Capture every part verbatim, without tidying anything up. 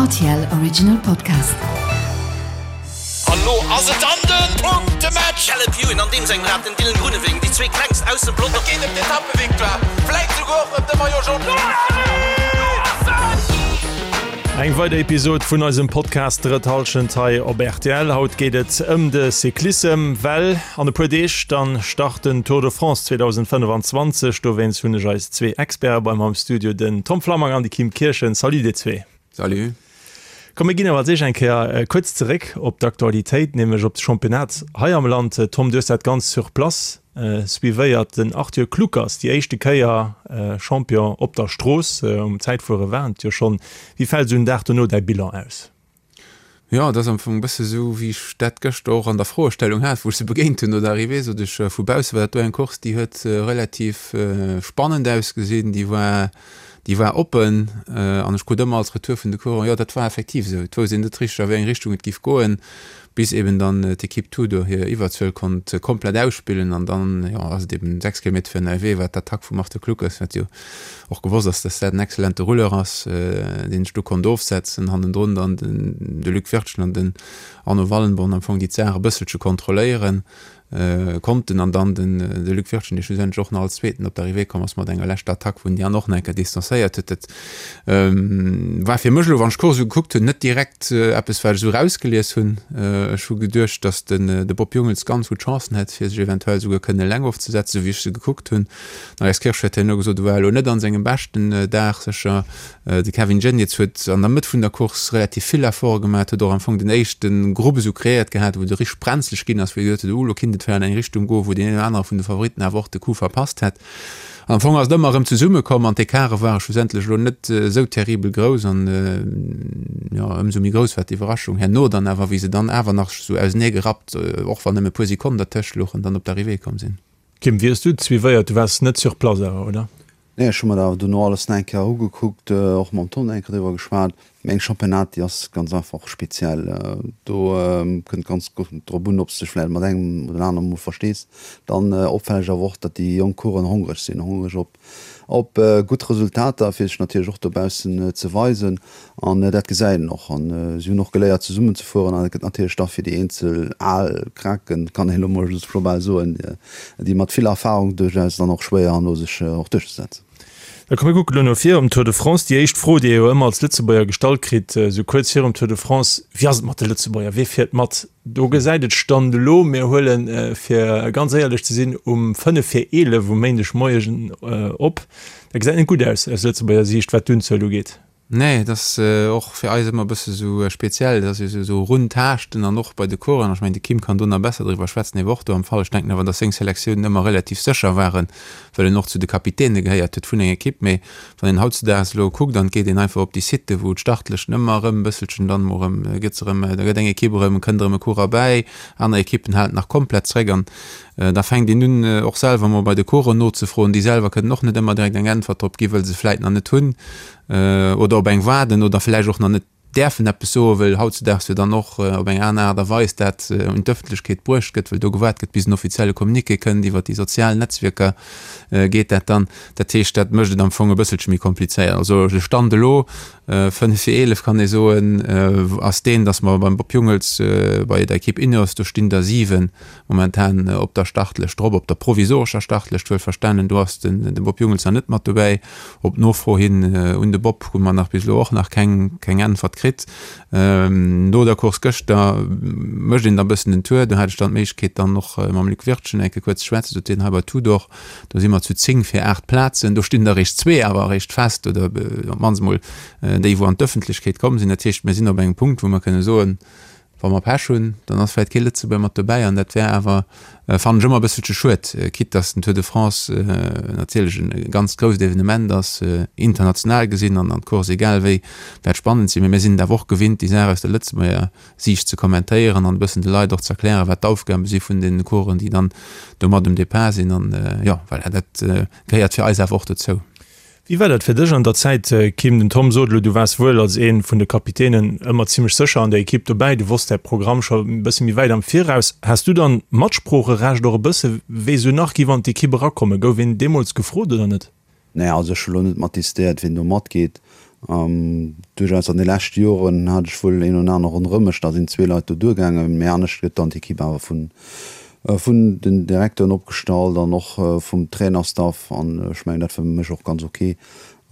R T L Original Podcast. An lo ass et dann den Punktematch! Caleb Ewan an deem sengem Rad, den Dylan Groenewegen, déi zwee klengst aus dem Pelotong. Et geet ëm d'Etappevictoire, vläit souguer och ëm de Maillot Jaune. Eng weider Episod vun eisem Podcast Drëtt Hallschent hei op R T L. Haut geet et ëm de Cyclissem, well an e puer Deeg dann start den Tour de France zweedausendfënnefanzwanzeg. Dowéinst hunn ech eis zwee Experte bei mer am Studio, den Tom Flammang an de Kim Kirchen. Salut dir zwee. Salut. Komm mir ginn awer als éischt eng Kéier kuerz zeréck op d'Aktualitéit, nämlech op de Championnat hei am Land. Tom, du hues dat Ganzt sur place suivéiert. Den Arthur Kluckers, déi éischte Kéier Champion op der Strooss, um Zäitfuere war et jo schonn. Wéi fält esou en Dag dono däi Bilan aus? Jo, et ass am Fong e bësse sou, wéi ech dat gëschter och an der Froestellung hat, wou ech se begéint hunn no der Arrivée, sot ech, vu bausse war dat do eng Course, déi huet relativ spannend ausgesinn, déi war, déi war oppen an ech krut ëmmer als Retour vun de Coureuren, jo, dat war effektiv esou, et wousst een net richteg, a wéi eng Richtung et giff goen, bis eben dann d'Equipe Tudor hir Iwwerzuel konnt komplett ausspillen an dann, jo, ass et eben sechs Kilometer virun der Arrivée war d'Attack vum Arthur Kluckers, wat jo och gewosst ass, dass dat en excellente Rouleur ass, deen sech do konnt ofsetzen, hannendrun dann den de Luc Wirtgen an den Arno Wallenborn am Fong déi d'Saach e bësselche kontrolléieren konnten an dann den de Luc Wirtgen, dee schlussendlech och nach als Zweeten op d'Arrivée komm ass mat enger leschter Attack, wou en déi aner och nach eng Kéier distanzéiert huet. Dat war fir mech elo, wann ech d'Course esou gekuckt hunn, net direkt eppes, wat ech esou erausgelies hunn. Ech hu geduecht, datt den de Bob Jungels ganz gutt Chancen hätt, fir sech eventuell esouguer kënnen eleng ofzesetzen, esou wéi ech se gekuckt hunn. Den Alex Kirsch huet herno gesot, e war elo net an sengem beschten Dag sécher. De Kevin Geniets huet an der Mëtt vun der Course relativ vill Efforte gemaach, huet och am Fong den éischte Grupp esou kreéiert gehat, wou et richteg brenzleg ginn ass, wou ee gesot huet, oh lo kinnt et vläicht an eng Richtung goen, wou deen een oder anere vun de Favoritten awer och de Coup verpasst hätt. An am Fong ass et ëmmer erëm zesummekomm an d'Ecarte ware schlussendlech elo net esou terribel grouss an jo, ëmsou méi grouss war d'Iwwerraschung herno dann awer, wéi se dann awer nach sou ausenee gerappt, och wann nëmme e puer Sekonnen dertëscht louchen, dann op d'Arrivée komm sinn. Kim, wéi hues du et suivéiert? Du waars net sur place awer, oder? Nee, ech hu mer dat awer dono alles nach eng Kéier ugekuckt, och mam Tom nach eng Kéier driwwer geschwat. Mee eng Championnat, déi ass ganz einfach speziell. Do kënnt ganz drop un, ob s de dech vläicht mat engem oder anerem mol verstees. Dann opfälleg awer och, datt déi jonk Coureuren hongreg sinn, hongreg op op gutt Resultater, fir sech natierlech och dobaussen ze weisen. An dat gesäit een och. An si hunn och geléiert zesummen ze fueren. An et gëtt natierlech da fir déi eenzel al Kraken, kann een elo mol just global soen, déi mat vill Erfahrung duerchaus dann och schwéier herno sech och duerchzesetzen. Da komm mir kucken elo no vir um Tour de France. Déi éischt Fro, déi ee jo ëmmer als Lëtzebuerger gestallt kritt, esou kuerz virum Tour de France, Wéi ass et mat de Lëtzebuerger? Wie fiert mat? Do gesäit et Stand elo, mir huelen, fir ganz éierlech ze sinn, um fënnef vir eelef um Méindegmoien op, dat gesäit net gutt aus aus Lëtzebuerger Siicht, wat d'Unzuel ugeet. Nee, et ass och fir eis ëmmer e bësse sou speziell, et ass jo sou run taaschten an och bei de Coureuren. Ech mengen, de Kim kann do nach besser driwwer schwätzen, hie war och do am Fall. Ech denken awer, datt seng Selektiounen ëmmer relativ sécher waren, well en och zu de Kapitäne gehéiert huet vun enger Ekipp. Mee wann een hautzedaags elo kuckt an et geet een einfach op déi Siten, wou d'Startlëschten ëmmer erëm e bësselchen dann emol erëm gëtt se erëm, da gëtt eng Ekipp erëm, kënnt erëm e Coureur bäi, aner Ekippen halen nach komplett zréck an da fänkt een un och selwer emol bei de Coureuren nozefroen. Déi selwer kënnen och net ëmmer direkt eng Äntwert drop ginn, well se vläit nach net hunn. Oder op eng waarden oder vläicht och nach net däerfen eppes soen, well hautzedaags jo dann och op eng aner Aart a Weis dat un d'Ëffentlechkeet bruecht gëtt, well do gewaart gëtt, bis en offizielle Communiqué kënnt. Iwwer déi sozial Netzwierker geet dat dann. Dat heescht, dat mécht et am Fong e bësselche méi komplizéiert. Also de Stand elo, fënnef vir eelef kann ee soen, ass deen, datt mer beim Bob Jungels bei der Ekipp Ineos, do stinn der siwen momentan op der Startlëscht drop, op der provisorescher Startlëscht wuelverstanen, do ass den de Bob Jungels nach net mat dobäi. Op Nofro hin un de Bob hu mer nach bis elo och nach keng keng Äntwert kritt. No der Course gëschter mécht een da bëssen den Tour. Do hat ech dann d'Méiglechkeet dann och mam Luc Wirtgen eng Kéier kuerz ze schwätzen, sot hien, hei bei Tudor, do si mer zu zéng fir aacht Plazen, do stinn der eréischt zwee awer eréischt fest oder op d'mannst emol déi wou an d'Ëffentlechkeet komm sinn. Dat heescht, mir sinn op engem Punkt wou mer kënne soen, Wa mer Pech hunn, dann ass vläicht kee Lëtzebuerger mat dobäi an dat wär awer, fannen ech, ëmmer e bësselche schued, quitte dass den Tour de France natierlech e ganz grousst Evenement ass, international gesinn an d'Course egal wéi wäert spannend sinn. Mee mir sinn et awer och gewinnt, déi Saach aus der Lëtzebuerger Siicht ze kommentéieren an e bëssen de Leit och ze erklären, wat d'Aufgabe si vun den Coureuren, déi dann do mat um Depart sinn. An jo, voilà, dat gehéiert fir eis awer och dozou. Wéi war dat fir dech an der Zäit, Kim? Den Tom sot elo, du waars wuel als ee vun de Kapitänen ëmmer zimmlech sécher an der Ekipp dobäi, du wosst däi Programm scho e bësse méi wäit am Viraus. Has du dann Matsproocherecht och e bësse wéi esou nach giff an d'Ekipp erakommen? Gouf een deemools gefrot oder net? Nee, also ech hu lo net mat decidéiert, wien do matgeet. Duerchaus an de leschte Joren hat ech wuel een oder aner ronderëm mech, da sinn zwee Leit do duergaangen, mee anescht gëtt dann d'Ekipp awer vun vun den Direkteuren opgestallt an och vum Trainerstaff an ech mengen dat war fir mech och ganz ok.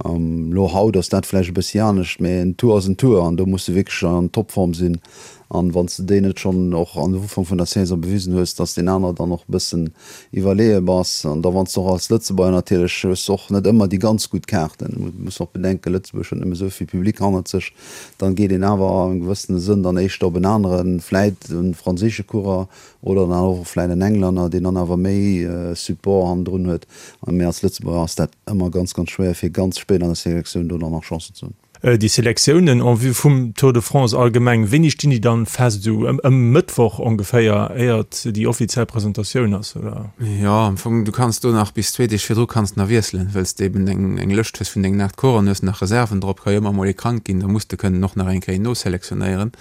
Elo haut ass dat vläicht e bëssi anescht, mee en Tour ass en Tour an do muss de wierklech an Topform sinn. An wann s de déi net schonn och am Ufank vun der Saison bewisen hues, dass deen aner dann och e bëssen iwwerleeë bass. An da wann s de och als Lëtzebuerger natierlech hues de och net ëmmer déi ganz gutt Kaarten. Muss och bedenken, Lëtzebuerg huet net méi esou vill Public hannert sech. Dann geet een awer am gewëssene Sënn dann éischter op en aneren, vläit e franséische Coureur oder dann och vläit en Englänner, deen dann awer méi Support hannendrun huet. Mee als Lëtzebuerger ass dat ëmmer ganz, ganz schwéier, fir ganz spéit an der Selektioun do dann nach Chancen ze hunn. Déi Selektiounen en vue vum Tour de France allgemeng, wéini stinn déi dann fest? Esou ëm Mëttwoch ongeféier, éiert déi offiziell Presentatioun ass, oder? Jo, am Fong, du kanns do nach bis zwee Deeg virdru kanns nach wiesselen, well s de eben eng eng Lëscht hues vun dengen aacht Coureuren, hues nach Reserven drop, ka jo ëmmer mol ee krank ginn, da muss de kënnen och nach eng Kéier noselektionéieren.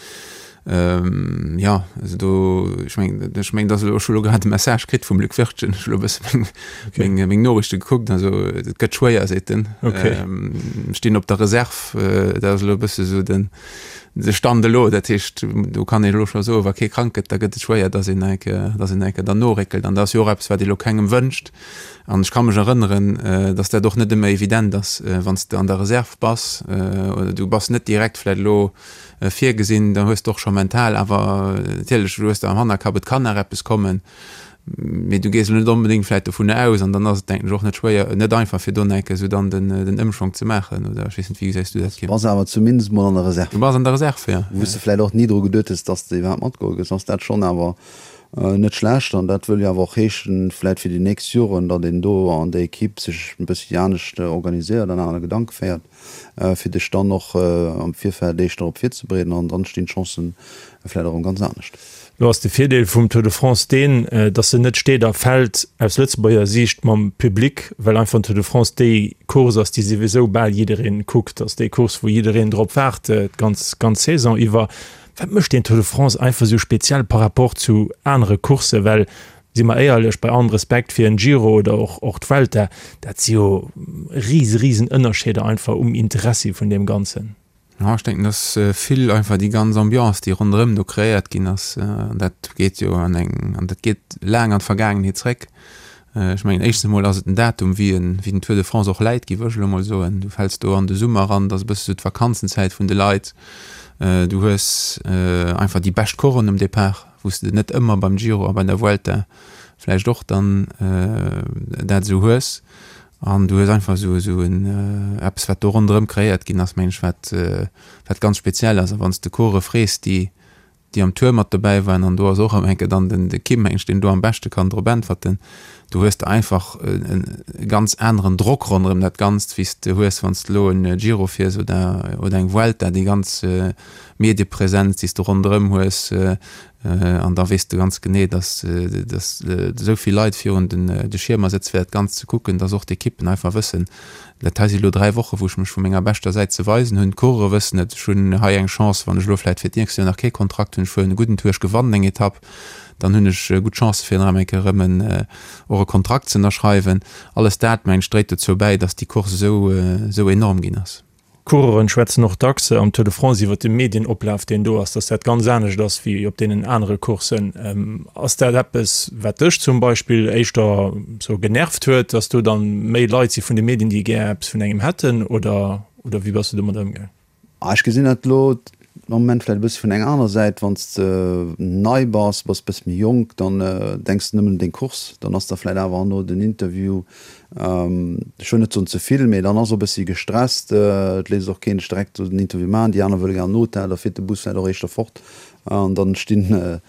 Jo, also do, ech mengen, ech mengen, dass elo, ech hu elo grad e Message kritt vum Luc Wirtgen, ech hu elo e bësse meng, meng, meng Noriichte gekuckt, also et gëtt schwéier, seet en. Stinn op der Reserve, dat ass elo e bësse sou den, de Stand elo. Dat heescht, do kann een elo scho soen, wa kee krank gëtt, da gëtt et schwéier, dass een nach eng Kéier, dass een nach eng Kéier dann noréckelt. An dat ass jo och eppes, wat ee elo kengem wënscht. An ech ka mech erënneren, dass dat och net ëmmer evident ass, wann s de an der Reserve bass, oder du bass net direkt vläicht elo virgesinn, da hues de och scho mental awer natierlech, du hues de am Hannerkapp, et kann nach eppes kommen, mee du gees elo net onbedéngt vläicht dovunner aus an dann ass et, denken ech, och net schwéier, net einfach fir do nach eng Kéier esou dann den, den Ëmschwong ze maachen oder ech weess net, wéi gesäis du dat, Kim? Du bass awer zumindest mol an der Reserve. Du bass an der Reserve, jo. Wou s de vläicht och ni dru geduet hues, dass de iwwerhaapt matgeholl gëss, ass dat schonn awer net schlecht an dat wëll jo awer och heeschen, vläicht fir déi nächst Joren, datt een do an der Ekipp sech e bëssi anescht organiséiert an aner Gedanke féiert. fir dech dann och am Virfeld éischter drop virzebereeden an dann stinn d'Chancen vläit erëm ganz anescht. Lo ass de Virdeel vum Tour de France deen, datt en net steet a fält aus Lëtzebuerger Siicht mam Public, well einfach den Tour de France déi Course ass, déi souwisou bal jiddereen kuckt, ass déi Course wou jiddereen drop waart d'ganz ganz Saison iwwer. Wat mécht deen Tour de France einfach esou speziell par rapport zu anere Courssen? Well Si mer éierlech, bei allem Respekt fir en Giro oder och och d'Vuelta, dat si jo rise risen Ënnerscheeder einfach um Interessi vun deem Ganzen. Jo, ech denken, dass vill einfach déi ganz Ambiance, déi ronderëm do kreéiert ginn ass, an dat geet jo an eng, an dat geet laang an d'Vergaangenheet zréck. Ech mengen, éischtens emol ass et den Datum, wéi en, wéi den Tour de France och läit, géif ech elo emol soen. Du fäls do an de Summer eran, dat ass e bësse sou d'Vakanzenzäit vun de Leit. Du hues einfach déi bescht Coursen um Depart, wou s de net ëmmer beim Giro a bei der Vuelta vläicht och dann dat esou hues. An du hues einfach esou esou en eppes, wat do ronderëm kreéiert ginn ass, mengen ech, wat wat ganz speziell ass. A wann s de Course frees, déi déi am Tour mat dobäi waren, an do ass och erëm eng Kéier dann den de Kim, mengen ech, deen do am beschte kann drop äntwerten, do hues de einfach e ganz aneren Drock ronderëm dat Ganzt, wéi s de hues, wann s de elo en Giro fiers oder oder eng Vuelta, déi ganz Mediepresenz, déi s de ronderëm hues, an da weess de ganz genee, dass dass esou vill Leit virun den de Schiermer sëtzen, fir dat Ganzt ze kucken, dass och d'Ekippen einfach wëssen, Dat hei si lo dräi Woche wou ech mech vu menger beschter Säit ze weisen hunn. D'Coureure wëssen et, ech hunn hei eng Chance, wann ech elo vläit fir d'nächst Joer nach kee Kontrakt hunn, ech fueren e gudden Tour, ech gewannen eng Etapp, dann hunn ech gutt Chancë fir nach eng Kéier erëm en och e Kontrakt ze ënnerschreiwen. Alles dat, mengen ech, dréit dozou bäi, datt déi Course esou esou enorm ginn ass. D'Coureuren schwätzen och dacks am Tour de France iwwer de Medienoplaf, deen do ass, dass dat ganz anescht ass wéi op deenen anere Courssen. Ass dat eppes, wat dech zum Beispill éischter sou genervt huet, dass do dann méi Leit si vun de Medien, déi gär eppes vun engem hätten, oder oder wéi bass du domat ëmgaang? Ech gesinn dat elo am Moment vläicht e bësse vun enger aner Säit. Wann s de nei bass, bass e bësse méi jonk, dann denks de nëmmen un deng Course, dann ass der vläicht awer herno den Interview Ech wëll net soen ze vill, mee dann ass och e bëssi gestresst. Et léisst och keen dech direkt den Interview maachen. Déi aner wëlle gär an den Hotel, da fiert de Bus vläicht och éischter fort an dann stinn,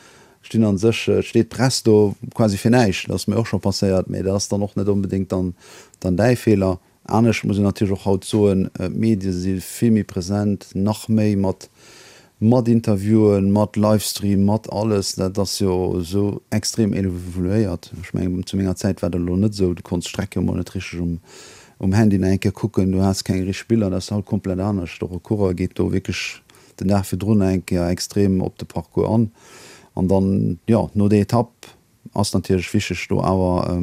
stinn a sech, steet d'Press do quasi fir näischt. Dat ass mir och scho passéiert, mee dat ass dann och net onbedéngt dann, dann däi Feeler. Anescht muss een natierlech och haut soen, d'Medie si vill méi present, nach méi mat mat Interviewen, mat Livestream, mat alles. Dat ass jo esou extrem evoluéiert. Ech mengen, zu menger Zäit war dat elo net esou. Du konns d'Streck jo emol net richteg um um Handy nach eng Kéier kucken, du has keng richteg Biller. Dat ass haut komplett anescht. Och e Coureur geet do wierklech den Dag virdrun nach eng Kéier extrem op de Parcours an. An dann, jo, no der Etapp ass natierlech wichteg do awer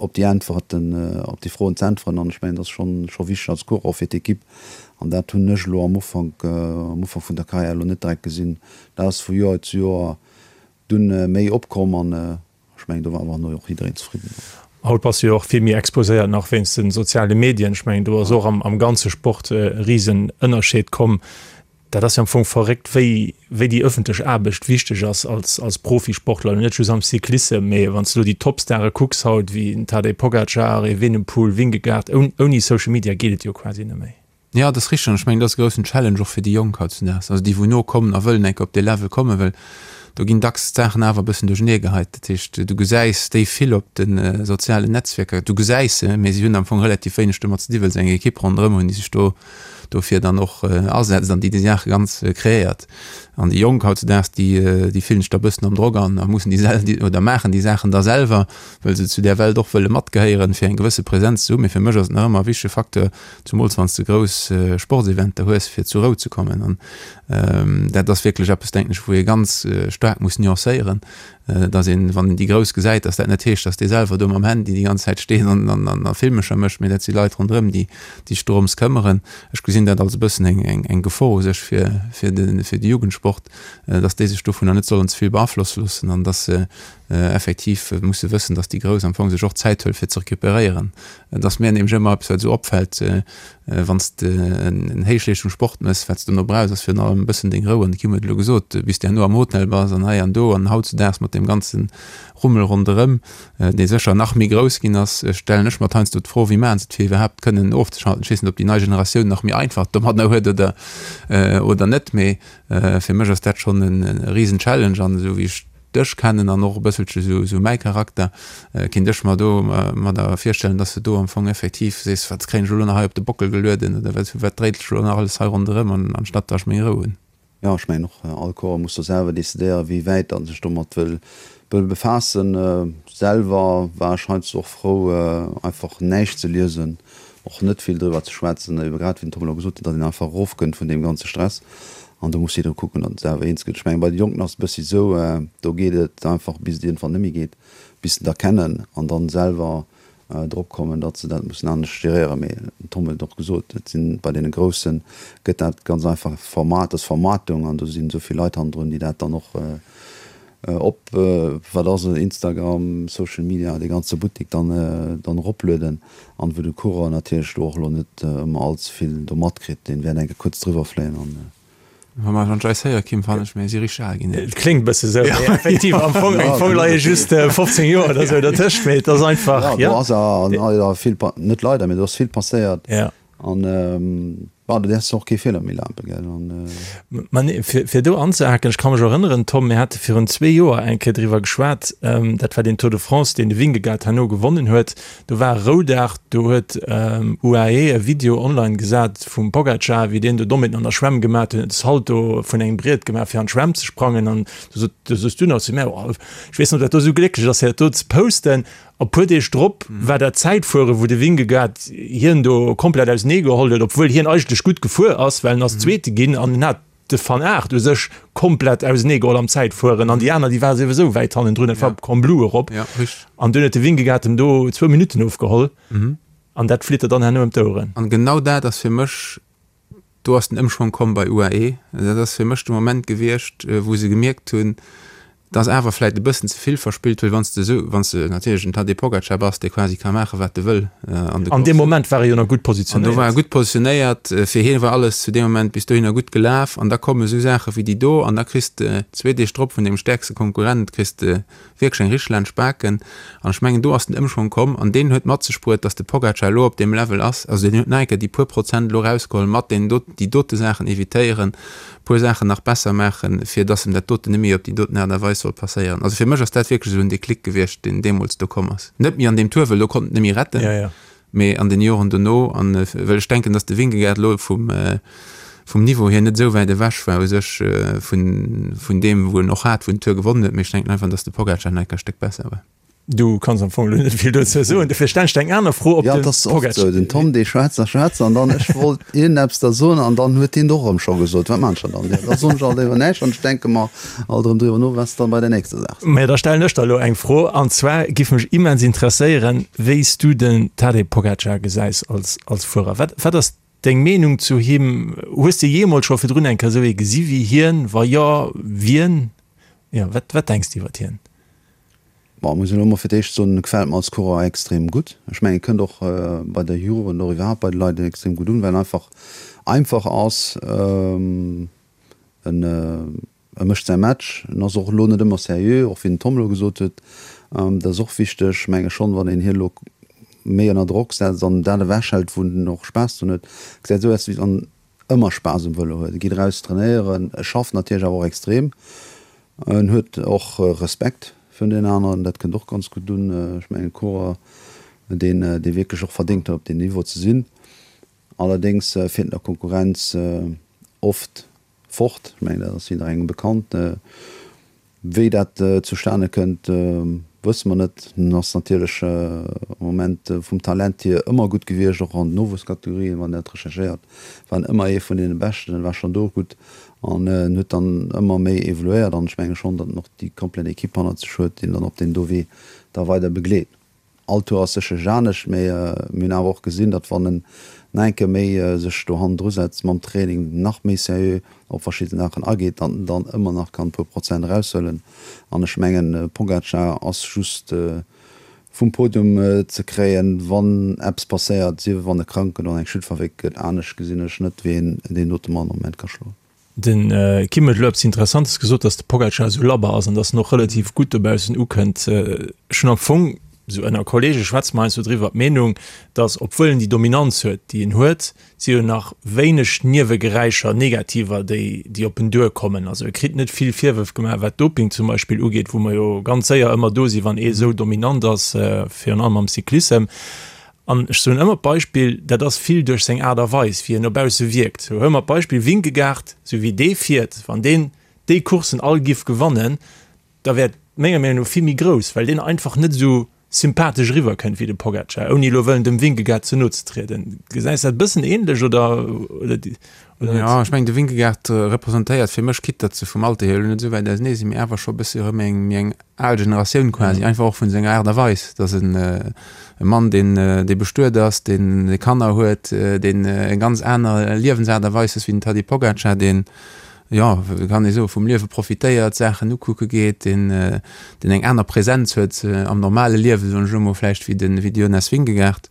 op déi Äntwerten, op déi Froen ze äntweren. An ech mengen, dat ass schonn, scho wichteg als Coureur, och fir d'Ekipp. An dat hunn ech elo am Ufank, am Ufank vun der Karriär elo net direkt gesinn. Dat ass vu Joer zu Joer dunn méi opkomm an ech mengen, do war awer herno och jiddereen zefridden. Haut bass du jo och vill méi exposéiert nach wéinst de soziale Medien. Ech mengen, do ass och am, am ganze Sport e Risenënnerscheed komm. Dat ass jo am Fong verréckt, wéi, wéi déi ëffentlech Aarbecht wichteg ass als, als Profisportler, net just am Cyclissem, mee wann s de elo déi Topstare kucks haut, wéi en Tadej Pogacar, Evenepoel, Vingegaard, ouni Social Media geet et jo quasi net méi. Jo, dat ass richteg an ech mengen, dat ass e groussen Challenge och fir déi Jonk hautzudaags, also déi wou nokommen a wëllen eng Kéier op dee Level kommen, well do ginn dacks d'Saachen awer e bëssen duerchernee geheit. Dat heescht, du gesäis déi vill op de sozialen Netzwierker, du gesäis se, mee si hunn am Fong relativ wéineg domat ze di, well se eng Ekipp ronderëm hunn, déi sech do dofir dann och asetzt an déi déi Saache ganz kreéiert. An déi Jonk hautzudaags, déi, déi fillen sech da e bëssen am Drock an a mussen déi sel oder maachen déi Saachen da selwer, well se zu där Welt och wëlle matgehéieren, fir eng gewësse Präsenz ze hunn. Mee fir mech ass et nach ëmmer e wichtege Facteur, zumools wann s de grouss Sportseventer hues, fir zur Rou ze kommen. An dat ass wierklech eppes, denken ech, wou ee ganz staark muss nuancéieren, dass een, wann een déi Grouss gesäit, dass dat net heescht, dass dee selwer do mam Handy déi ganz Zäit steet an, an, a Filmecher mécht, mee dat si Leit ronderëm, déi, déi sech dorëms këmmeren. Ech gesinn dat als e bëssen eng, eng, eng Gefor u sech fir, fir de, fir de Jugendsport, dass déi sech dovunner net sollen ze vill beaflosse loossen an dass se effektiv musse wëssen, dass déi Grouss am Fong sech och Zäit huele fir ze recuperéieren. Et ass mir nämlech ëmmer eppes, wat esou opfält, wann s de en Héichleeschtungssport méchs, wat s de dono brauchs, ass virun allem e bëssen deng Rou. An de Kim huet elo gesot, bis s de herno am Hotel bass an hei an do an hautzudaags mat deem ganze Rummel ronderëm, dee sécher nach méi grouss ginn ass, stellen ech mer heiansdo d'Fro, wéi maachen se et, fir iwwerhaapt kënnen ofzeschalten. Ech weess net, ob déi nei Generatioun nach méi einfach domadder huet oder, oder net, mee fir mech ass dat schonn e Risen-Challenge. An esou wéi ech dech kennen an och e bësselche sou, sou mäi Charakter, kinnt ech mer do mer da virstellen, dass de do am Fong effektiv sees, wat kréien ech elo nach hei op de Bockel gelueden oder wat, wat dréit sech elo nach alles hei ronderëm an anstatt dass ech meng Rou hunn. Jo, ech mengen och, all Corps muss do selwer decidéieren, wéi wäit en sech domat wëll, wëll befaassen. Selwer war ech heiansdo och frou, einfach näischt ze liesen, och net vill driwwer ze schwätzen, ebe grad wéi den Tom elo gesot huet, datt een einfach erofkënnt vun deem ganze Stress. An do muss jidderee kucken, datt en selwer eens gëtt. Ech mengen, bei de Jonken ass et e bëssi esou, do geet et einfach, bis et iergendwann net méi geet, bis se et erkennen an dann selwer drop kommen, datt se dat mussen anescht geréieren. Mee den Tom huet et och gesot, et sinn bei deene Grousse gëtt dat ganz einfach Format, dat ass Vermaartung an do sinn esou vill Leit hannendrun, déi dat dann och op, wat ass et, Instagram, Social Media, dee ganze Buttek dann dann eroplueden an wou de Coureur natierlech do och elo net ëmmer all ze vill do matkritt, deen wäert eng Kéier kuerz driwwer fléien an. Wa mer wann ech eis héiere Kim, fannen ech mir si richteg al ginn. Et kléngt bësse sou, mee effektiv am Fong am Fong leie just fofzéng Joer oder sou dertëscht, mee et ass einfach, jo. Do ass leider vill, net leider, mee do ass vill passéiert. Ja. An bon, do däerfs de och kee Feeler méi lafen, gell, an. Ma nee, fir, fir do anzehaken, ech ka mech erënneren, Tom, mir hate virun zwee Joer eng Kéier driwwer geschwat, dat war deen Tour de France, deen de Vingegaard herno gewonnen huet. Do war e Roudag, do huet U A E e Video online gesat vum Pogacar, wéi deen do Dommheeten an der Schwämm gemat huet, huet e Salto vun engem Briet gemaach, fir an d'Schwämm ze sprangen. An du sot, du soos du nach zu mär, oh, ech weess net, ob dat do esou glécklech ass, fir dat do ze posten. A puer Deeg drop war dat Zäitfuere wou de Vingegaard hien do komplett ausenee geholl huet, obwuel hien eigentlech gutt gefuer ass, well en ass Zweete ginn an en hat de Van Aert u sech komplett ausenee geholl am Zäitfueren an déi aner déi ware souwisou wäit hannendrun, et war op Combloux erop an dunn huet de Vingegaard em do zwou Minutten ofgeholl an dat flitt der dann herno ëm d'Oueren. An genau dat ass fir mech Do ass den Ëmschwong komm bei U A E. Dat ass fir mech de Moment gewiescht, wou se gemierkt hunn, dass awer vläicht e bëssen ze vill verspillt, well wann s de esou, wann s de natierlech en Tadej Pogacar bass, dee quasi ka maachen, wat e wëll an de An deem Moment war e jo nach gutt positionéiert. An do war e gutt positionéiert. Fir hie war alles zu deem Moment bis dohinner gutt gelaf. An da komme esou Saache wéi déi do an da kriss de zwee Deeg drop vun dengem stäerkste Konkurrent kriss de wierklech eng richteg laanscht Baken. An ech mengen, do ass den Ëmschwong komm an deen huet mat sech bruet, datt de Pogacar elo op deem Level ass. Also deen huet nach eng Kéier déi puer Prozent elo erausgeholl mat deenen do, déi dote Saachen evitéieren, puer Saachen nach besser maachen, fir datt em dat doten net méi op déi doten Aart a Weis soll passéieren. Also fir mech ass dat wierklech esou en Déclic gewiescht, deen deemools do komm ass. Net méi an deem Tour, well do konnt en et net méi retten. Mee an den Joren dono, an well ech denken, datt de Vingegaard elo vum, vum Niveau hier net esou wäit ewech war u sech vun, vun deem, wou en och hat, wou en d'Tour gewonnen huet, mee ech denken einfach, datt de Pogacar nach e Stéck besser war. Du kanns am Fong elo net vill dozou soen, dofir stellen ech der eng aner Fro op Ja, de et ass oft Pogacar. esou, den Tom dee schwätzt a schwätzt an dann, ech wollt iergendeppes da soen an dann huet deen et och erëm scho gesot. Wat maan ech dann? Jo, da soen ech alt éiwer näischt an ech denke mer alt erëm driwwer no, wat s de dann bei der nächster Saach sees. Mä da stellen ech der elo eng Fro, an zwar giff mech immens interesséieren, wéi s du den Tadej Pogacar gesäis als als Fuerer. Wat wat ass deng Meenung zu him? Hues de jeemools scho virdrun eng Kéier esou ee gesi wéi hien? Wa jo, wien? Jo, wat wat denks de iwwert hien? Bon, muss ech elo mol fir d'éischt soen, e gefält mer als Coureur extrem gutt. Ech mengen, e kënnt och bei der Jugend och iwwerhaapt bei de Leit extrem gutt un, well en einfach einfach ass. En e mécht säi Match, en ass och elo net ëmmer seriö, och wéi den Tom elo gesot huet, dat ass och wichteg. Ech menge schonn, wann een hie elo méi ënner Drock setzt an dat ewechhält, wou en och Spaass drun huet, gesäit esou aus, wéi wann en ëmmer Spaass um Vëlo huet. E geet eraus trainéieren, e schafft natierlech awer och extrem. En huet och Respekt vun den aneren, dat kënnt och ganz gutt un. Ech mengen e Coureur, deen dee wierklech och verdéngt huet op deem Niveau ze sinn. Allerdéngs fiert en der Konkurrenz oft fort. Ech mengen dat ass jidderengem bekannt. Wéi dat zustane kënnt, wësse mer net. En ass natierlech am Moment vum Talent hier ëmmer gutt gewiescht, och an den Nowuesskategorien, wann een dat recherchéiert, war en ëmmer ee vun deene Beschten. En war schonn do gutt an en huet dann ëmmer méi evoluéiert an ech menge schonn, datt en och déi komplett Ekipp hannert sech huet, déi en dann op deem do Wee da weider begleet. All Tour ass sécherlech anescht, mee mir hunn awer och gesinn, datt wann en nach eng Kéier méi sech do hannendru setzt mam Training, nach méi seriö op verschidde Saachen ageet, datt en dann ëmmer nach kann e puer Prozent eraushuelen. An ech mengen, Pogacar ass just vum Podium ze kréien, wann eppes passéiert, sief et wann e krank gëtt oder eng Chute verwéckt gëtt. Anescht gesinn ech net, wéi een deen dote Mann am Moment ka schloen. Den Kim huet elo eppes Interessantes gesot, datt de Pogacar esou labber ass an datt en och relativ gutt dobaussen ukënnt. Ech hunn am Fong, esou ënner Kollege schwätze mer heiansdo driwwer, d'Meenung, datt obwuel en déi Dominanz huet, déi en huet, si jo nach wéineg Niewegeräischer, negativer, déi, déi op en duerkommen. Also e kritt net vill Virwërf gemaach, wat Doping zum Beispill ugeet, wou mer jo ganz séier ëmmer do sinn, wann ee esou dominant ass, virun allem am Cyclissem. An ech soen ëmmer d'Beispill, dat ass vill duerch seng Aart a Weis, wéi en no bausse wierkt. Sou huele mer d'Beispill Vingegaard, sou wéi dee fiert, wann deen déi Courssen all giff gewannen, da wär et menger Meenung no vill méi grouss, well deen einfach net esou sympathesch eriwwer kënnt wéi de Pogacar, ouni elo wëllen dem Vingegaard ze no ze trieden. Gesäis de dat e bëssen ähnlech oder oder net? Jo, ech mengen de Vingegaard representéiert fir mech, quitte datt se vum Alter hier elo net esou wäit ausenee sinn, mee awer scho e bësse erëm eng méi eng al Generatioun quasi, einfach och vun senger Aart a Weis. Dat ass en e Mann, deen, dee bestuet ass, deen Kanner huet, deen eng ganz aner Liewensaart a Weis huet wéi den Tadej Pogacar, deen, jo, wéi kann ee soen, vum Liewe profitéiert, Saachen ukucke geet, deen, deen eng aner Präsenz huet am normale Liewen, soen ech elo mol, vläicht wéi de, wéi de Jonas Vingegaard.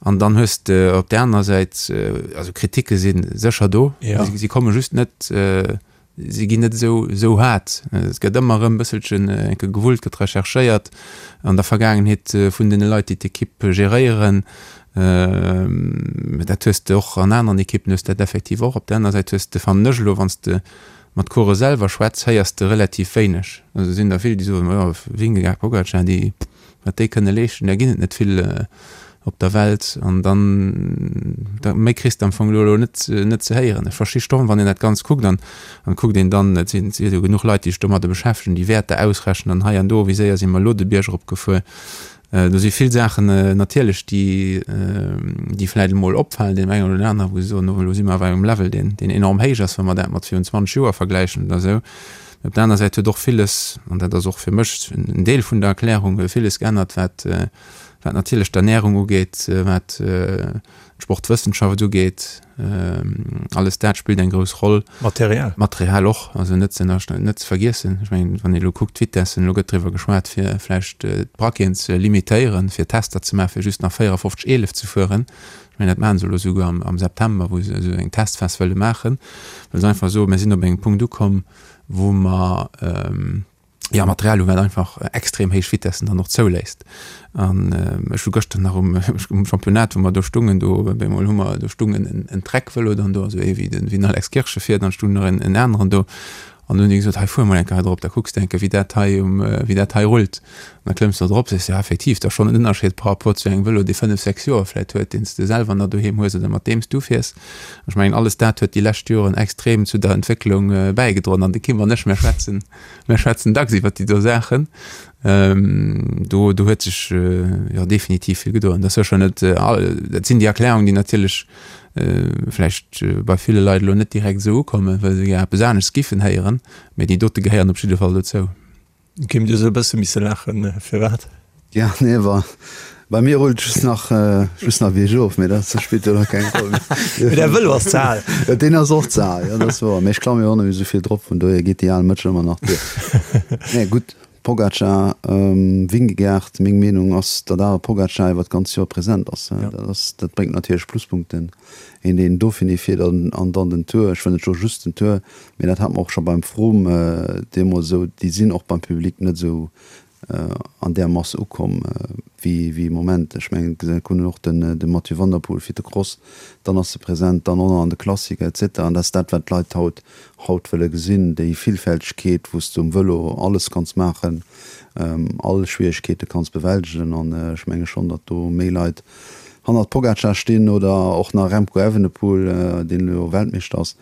An dann hues de op där anerer Säit, also Kritike si sécher do, si komme just net, si ginn net esou esou haart. Et gëtt ëmmer erëm e bësselchen enke gewullt, gëtt recherchéiert an der Vergaangenheet vun deene Leit, déi d'Ekipp geréieren. Dat hues de och an aneren Ekippen hues de dat effektiv och. Op där aner Säit hues de, fannen ech elo, wann s de mat Coureuren selwer schwätz, héiers de relativ wéineg. Also et sinn der vill, déi soen, jo, Vingegaard, Pogacar, déi, wat déi kënne leeschten, där ginn et net vill op der Welt. An dann, da méi kriss de am Fong elo elo net, net ze héieren. Ech versti stomm, wann een dat Ganzt kuckt an an kuckt een dann, et sinn, et si jo genuch Leit, déi sech domadder beschäftegen, déi Wäerter ausrechnen an hei an do, wéi séier si mer elo de Bierg eropgefuer. Do si vill Saachen natierlech, déi, déi vläicht emol opfalen deem engen oder deem aneren, wou se soen, oh elo si mer awer engem Level, deen, deen enorm héich ass, wa mer dat mat virun zwanzeg Joer vergläichen oder esou. Mä op der aner Säit huet och villes, an dat ass och fir mech en Deel vun der Erklärung, villes geännert, wat, wat natierlech d'Ernärung ugeet, wat d'Sportwëssenschaft ugeet. Alles dat spillt eng grouss Roll. Material. Material och, also net ze net ze vergiessen. Ech mengen, wann ee elo kuckt, d'Vitessen, elo gëtt driwwer geschwat, fir vläicht d'Braqueten ze limitéieren, fir Tester ze maachen, fir just nach véierafofzeg eelef ze fueren. Ech mengen, dat maache se elo souguer am am September, wou se esou eng Testphas wëlle maachen, well se einfach soen, mir sinn op engem Punkt ukomm, wou mer, jo, Material hu wat einfach extrem héich Vitessen dann och zouléisst. An ech hu gëschter nach um um Championnat, wou mer do stungen, do op eemol hu mer, do stung en en Trek-Vëlo dann do, esou ee wéi den wéi den Alex Kirsch e fiert, an stung nach en en aneren do. An hunn déi gesot, hei fuer mol eng Kéier hei drop, da kucks de eng Kéier wéi dat hei um, wéi dat hei rullt. An da klëmms de drop, sees de, ja effektiv, dat ass schonn en Ënnerscheed par rapport zu engem Vëlo, dee fënnef, sechs Joer vläit huet, deen s de selwer nach doheem hues oder mat deem s du fiers. An ech mengen, alles dat huet déi lescht Joren extrem zu der Entwécklung bäigedroen. An de Kim an ech, mir schwätzen, mir schwätzen dacks iwwert déi do Saachen. Do, do huet sech jo definitiv vill gedoen. Dat ass sécher net all, dat sinn déi Erklärungen, déi natierlech vläicht bei ville Leit elo net direkt esou ukommen, well se gär eppes aneschts giffen héieren, mee déi dote gehéieren op jidde Fall dozou. Kim, du hues e bësse misse laachen, firwat? Ja, nee, wa bei mir rullt just nach, just nach biergof, mee dat spillt jo da keng Roll méi. Mee däi Vëlo ass ze al. Deen ass och ze al, jo, dat ass wouer. Mee ech klamme jo och net méi esou vill drop, vun dohier geet déi al Mëtsch ëmmer nach duer. Nee, gutt, Pogacar, Vingegaard, meng Meenung ass, datt awer Pogacar iwwer d'ganz Joer present ass. Dat ass, dat bréngt natierlech Pluspunkten. Een, deen Dauphiné fiert an, an dann den Tour, ech wëll net soe just den Tour, mee dat hat mer och scho beim Froome deemools esou, déi sinn och beim Public net esou an där Mass ukomm wéi wéi Moment. Ech mengen, et hunn och den de Mathieu van der Poel fir de Cross, dann ass e present, dann och nach an de Klassiker et cetera. An dat ass dat, wat d'Leit haut haut wëlle gesinn, déi Villfältegkeet, wou s de um Vëlo alles kanns maachen, all Schwieregkeete kanns bewältegen. An ech menge schonn, datt do méi Leit hannert Pogacar stinn oder och nach Remco Evenepoel, deen elo Weltmeeschter ass,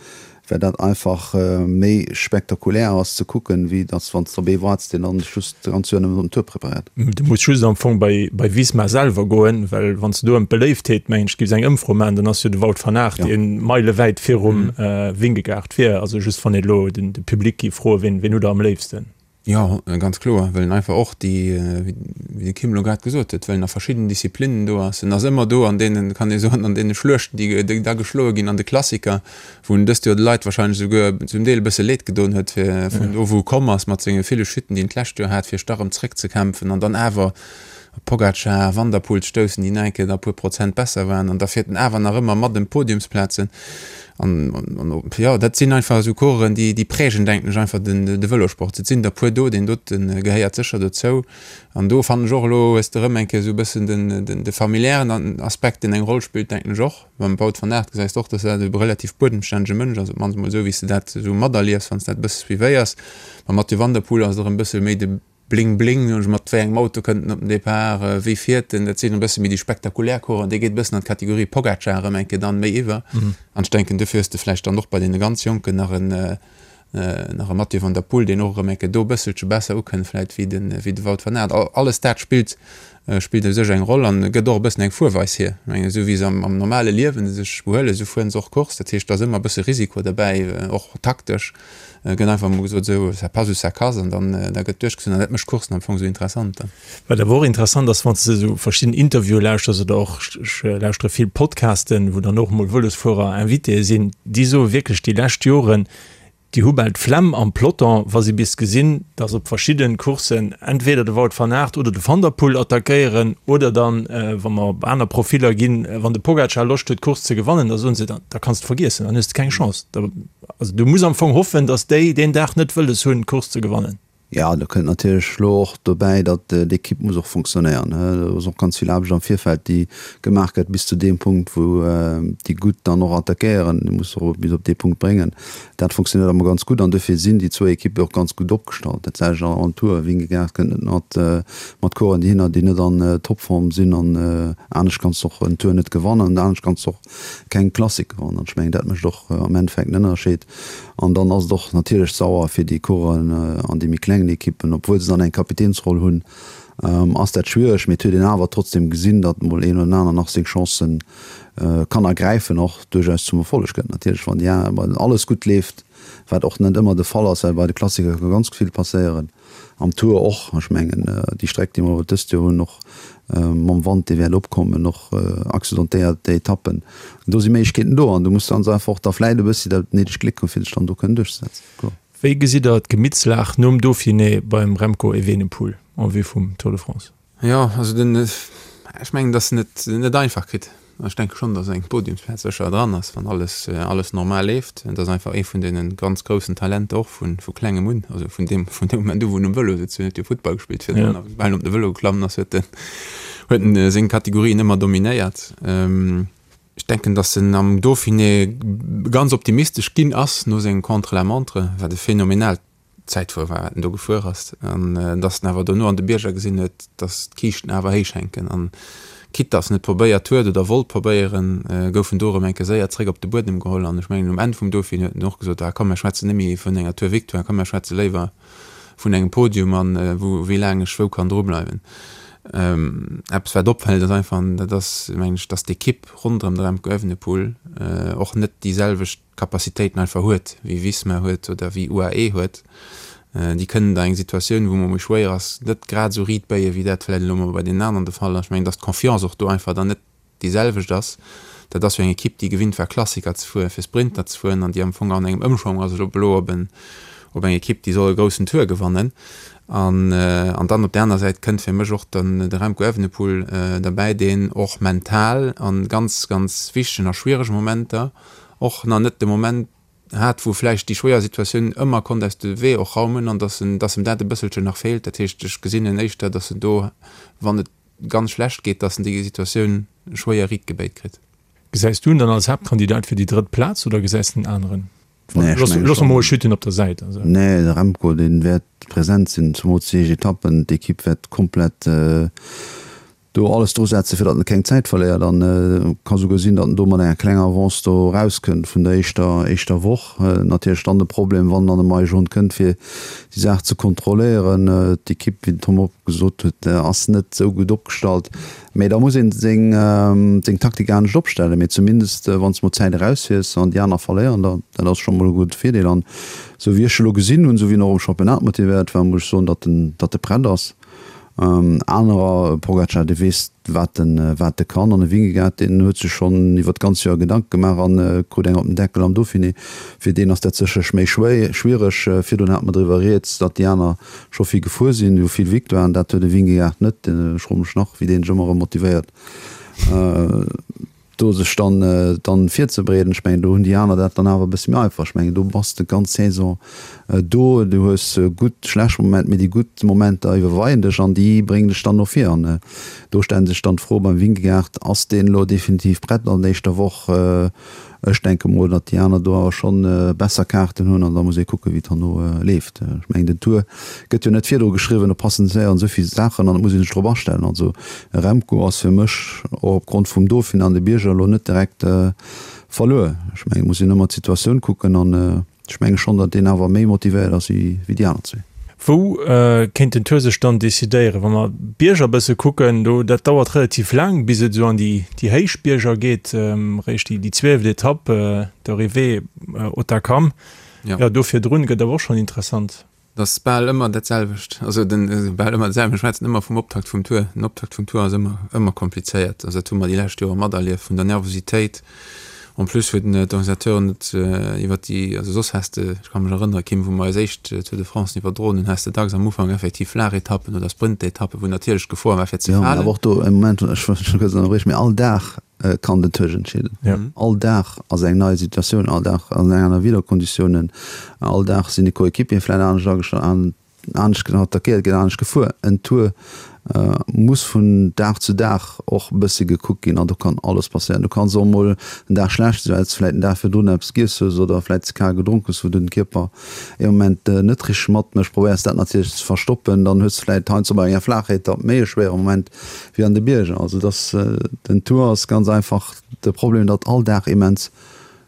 well dat einfach méi spektakulär ass ze kucken, wéi datt wann s de op ee waarts, deen dann sech just d'ganz Joer nëmmen op den Tour preparéiert. Du muss just am Fong bei bei Visma selwer goen, well wann s de do ëm d'Beléiftheet, mengen ech, giffs eng Ëmfro maachen, dann ass jo de Wout van Aert dee meilewäit virum Vingegaard wier. Also just wann een elo den de Public giff froen, ween ween hutt der am léifsten? Jo, ganz kloer, well en einfach och déi, wéi de Kim elo grad gesot huet, well en a verschiddenen Disziplinnen do ass. En ass ëmmer do an deenen, kann ee soen, an deene Schluechten, déi da geschloe ginn, an de Klassiker, wou en dëst Joer de Leit wahrscheinlech esouguer zum Deel e bësse Leed gedoen huet, fir vun do, wou e komm ass, mat senge ville Chuten, déi en d'lescht Joer hat, fir sech da erëm zréckzekämpfen an dann awer op Pogacar, Van der Poel stoussen, déi nach eng Kéier da e puer Prozent besser waren. An da fiert en awer nach ëmmer mat ëm d'Podiumsplazen. An, jo, dat sinn einfach esou Coureuren, déi, déi prägen, denken ech, einfach den, de Vëlosport. Et sinn der e puer do, deen dote gehéiert sécher dozou. An do fannen ech och, elo hues de erëm eng Kéier esou e bëssen den, den, de familiären Aspekt, deen eng Roll spillt, denken ech och. Beim Wout van Aert gesäis de och, dass dat e relativ buedemstännege Mënsch ass, op d'mannst emol esou, wéi s de dat esou materliefs, wann s de dat e bësse suivéiers. Beim Mathieu van der Poel ass et erëm e bësse méi de Bling bling, mat wéi engem Auto kënnt en op den Depart, wéi fiert en, dat sinn e bësse méi déi spektakulär Coursen, dee geet e bëssen an d'Kategorie Pogacar erëm eng Kéier dann méi iwwer. An ech denken, dofir hues de vläicht dann och bei deene ganz Jonken nach en nach e Mathieu van der Poel, deen och erëm eng Kéier do e bësselche besser ukënnt vläicht wéi de wéi de Wout van Aert. Alles dat spillt spillt u sech eng Roll an gëtt och e bëssen eng Fuerweis hier. Ech mengen, esou wéi se am am normale Liewen sech behuelen, esou fueren se och Course. Dat heescht, do ass ëmmer e bësse Risiko derbäi, och taktesch. Gëtt einfach emol gesot, esou, ça passe ou ça casse, an dann da gëtt duerchgezunn. An dat mécht d'Coursen am Fong esou interessant dann. Wat awer och interessant ass, wann s de esou verschidden Interviewe lauschters oder och, ech lauschtere vill Podcasten, wou dann och emol Vëlosfuerer Invitéë sinn, déi soe wierklech déi lescht Joren, déi hu bal d'Flemm am Peloton, wa si bis gesinn, datt op verschidde Courssen entweder de Wout van Aert oder de Van der Poel attackéieren oder dann, wa mer op aner Profiller ginn, wann de Pogacar Loscht huet d'Course ze gewannen, da soen se, da kanns de vergiessen, dann hues de keng Chance. Da Also du muss am Fong hoffen, datt déi deen Dag net wëlles hunn, d'Course ze gewannen. Jo, do kënnt natierlech elo och dobäi, datt d'Ekipp muss och fonctionnéieren. Do ass och ganz vill Aarbecht am Virfeld, déi gemaach gëtt bis zu deem Punkt, wou déi Gutt dann och attackéieren. Déi muss och bis op dee Punkt bréngen. Dat fonctionnéiert ëmmer ganz gutt an dofir sinn déi zwou Ekippe och ganz gutt opgestallt. Dat selwecht och am Tour. Vingegaard kënnt net mat mat Coureuren dohinner, déi net an Topform sinn an anescht kanns de och en Tour net gewannen an anescht kanns de och keng Klassik gewannen. An ech mengen, dat mécht och am Endeffekt en Ënnerscheed. An dann ass et och natierlech sauer fir déi Coureuren an déi méi klengen Ekippen, obwuel se dann eng Kapitänsroll hunn, ass dat schwiereg. Mee et huet een awer trotzdem gesinn, datt mol een oder den aner nach seng Chancen kann ergräifen, och duerchaus zum Erfolleg kënnt. Natierlech, wann déi aner, wann alles gutt leeft, wat och net ëmmer de Fall ass, well bei de Klassiker ka ganz vill passéieren. Am Tour och. Ech mengen, déi Streck, déi mer dëst Joer hunn, och mam Wand, dee wäert opkommen, och accidentéiert Etappen, do si Méiglechkeeten do an do muss ganz einfach och da vläit e bëssi dat néidegt Gléck hunn, fir sech dann do kënnen duerchzesetzen, kloer. Wéi gesitt Der d'Gemittslag nom Dauphiné beim Remco Evenepoel en vue vum Tour de France? Jo, also den, ech mengen, datt en et net einfach kritt. Ech denke schonn, datt eng Podiumsplaz sécher dran ass, wann alles, alles normal leeft. Et ass einfach ee vun deene ganz groussen Talenter och vu, vu klengem un, also vun deem, vun deem Moment u wou en um Vëlo sëtzt. Hien huet jo Futtball gespillt virdrun a soubal en op de Vëlo geklammen ass, huet en, huet en seng Kategorien ëmmer dominéiert. Ech denken, datt en am Dauphiné ganz optimistesch ginn ass no sengem Contre-la-montre, wat e phänomenaalt Zäitfuer war, wat en do gefuer ass, an datt en awer dono an de Bierger gesinn huet, datt d'Kiischten awer héich hänken. An quitte datt en et probéiert huet oder wollt probéieren, gouf en do erëm eng Kéier séier zréck op de Buedem geholl. An ech mengen, um Enn vum Dauphiné huet en och gesot, Ah komm, mir schwätzen net méi vun enger Tour-Victoire, komm, mir schwätze léiwer vun engem Podium an wou, wéi laang ech wou kann drubleiwen. Eppes wat opfält ass einfach, an dat ass mengen ech, datt d'Ekipp ronderëm de Remco Evenepoel och net déi selwecht Capacitéiten einfach huet wéi Visma huet oder wéi UAE huet. Déi kënnen da eng Situatioun, wou mol méi schwéier ass, net grad esou riit béien, wéi dat vläicht elo mol bei deenen aneren de Fall ass. Ech mengen, datt d'Confiance och do einfach dann net déi selwecht ass. Dat ass jo eng Ekipp, déi gewinnt war Klassiker ze fueren, fir Sprinter ze fueren an déi am Fong an engem Ëmschwong ass elo elo op en op eng Ekipp, déi soll e groussen Tour gewannen. An an dann op där aner Säit kënnt fir mech och dann de Remco Evenepoel derbäi, deen och mental a ganz, ganz wichtegen a schwierege Momenter och nach net de Moment hat, wou vläicht déi schwéier Situatioun ëmmer konnt aus de Wee och raumen an dass en dass em dat e bësselchen nach feelt. Dat heescht, ech gesinn en éischter, dass en do, wann et ganz schlecht geet, dass en déi Situatioun schwéier riit gebéit kritt. Gesäis du en dann als Haaptkandidat fir déi drëtt Plaz oder gesäis de en aneren? Nee, ech menge Loosse mer mol schonn. Chuten op der Säit. Also. Nee, de Remco, dee wäert present sinn, zemools déi éischt Etappen. D'Ekipp wäert komplett do alles dru setzen, fir datt en keng Zäit verléiert. An ka souguer sinn, datt en do mat enger klenger Avance do erauskënnt vun der éischter éischter Woch. Natierlech dann de Problem, wann dann e Maillot jaune kënnt, fir déi Saach ze kontrolléieren. D'Ekipp, wéi den Tom och gesot huet, ass net esou gutt opgestallt. Mee da muss een seng seng Taktik anescht opstellen. Mee zumindest wann s de mol Zäit erausfiers an déi aner verléieren, da dat ass scho mol e gudde Virdeel. An esou wéi ech elo gesinn hunn, esou wéi en och am Championnat motivéiert war, muss ech soen, datt en datt e prett ass. Anerer, Pogacar, dee weess wat en wat e kann an e Vingegaard, deen huet sech schonn iwwer d'ganz Joer Gedanke gemaach an krut eng op den Deckel am Dauphiné. Fir deen ass dat sécherlech méi schwiereg. Virdrun hate mer driwwer rieds, datt déi aner scho vill gefuer sinn, hu vill Victoiren, dat huet e Vingegaard net. Ech froe mech nach, wéi deen sech ëmmer erëm motivéiert. Do sech dann dann virzebereeden, ech mengen do hunn déi aner dat dann awer e bësse méi einfach. Ech mengen do bass de d'ganz Saison do, du hues gutt, schlecht Moment, mee déi gutt Momenter iwwerweien dech an déi bréngen dech dann no vir. An do stellt sech dann d'Fro beim Vingegaard, ass deen elo definitiv prett an der éischter Woch? Ech denke mol, datt déi aner do awer schonn besser Kaarten hunn an da muss ee kucken, wéi et herno leeft. Ech mengen, den Tour gëtt jo net virdru geschriwwen, do passéieren esou vill Saachen an et muss ee sech drop astellen. Also e Remco ass fir mech och opgrond vum Dauphiné an de Bierger elo net direkt verluer. Ech mengen, et muss een ëmmer d'Situatioun kucken an ech menge schonn, datt deen awer méi motivéiert ass wéi déi aner zwee. Wou kéint den Tour sech dann decidéieren? Wa mer d'Bierger e bësse kucken, do dat dauert relativ laang, bis et esou an déi déi héich Bierger geet, réischt déi déi zwieleft Etapp, d'Arrivée Hautacam. Jo, do virdrun gëtt awer och schonn interessant. Et ass bal ëmmer dat selwecht, also den bal ëmmer dat selwecht, mir schwätzen ëmmer vum Optakt vum Tour. Den Optakt vum Tour ass ëmmer ëmmer komplizéiert, also dat hu mer déi lescht Jore materlieft, vun der Nervositéit En plus huet d'Organisateuren et iwwer déi, also soss häss de, ech ka mech erënnere Kim, wou mer eis éischt Tour de France iwwerdroen hunn, häss de dacks am Ufank effektiv flaach Etappen oder Sprintetappen, wou natierlech d'Gefor war fir ze Jo, mä falen. awer och do, e Moment, ech wëll dech kuerz ënnerbriechen, mee all Dag kann den Tour entscheeden. All Dag ass eng nei Situatioun, all Dag ass eng aner Wiederkonditiounen, all Dag sinn déi Coéquipieren vläicht anescht agestallt, Anescht attackéiert gëtt, anescht gefuer. En Tour muss vun Dag zu Dag och e bësse gekuckt ginn an do kann alles passéieren. Du kanns och emol en Dag schlecht sinn, well s de vläicht den Dag virdrun eppes giess hues oder vläicht ze kal gedronk hues, wou den Kierper ee Moment net richteg matmécht. Probéiers dat natierlech ze verstoppen, dann hues de vläicht heiansdo bei enger Flaachetapp méi e schwéiere Moment wéi an de Bierger. Also dass den Tour ass ganz einfach de Problem, datt all Dag immens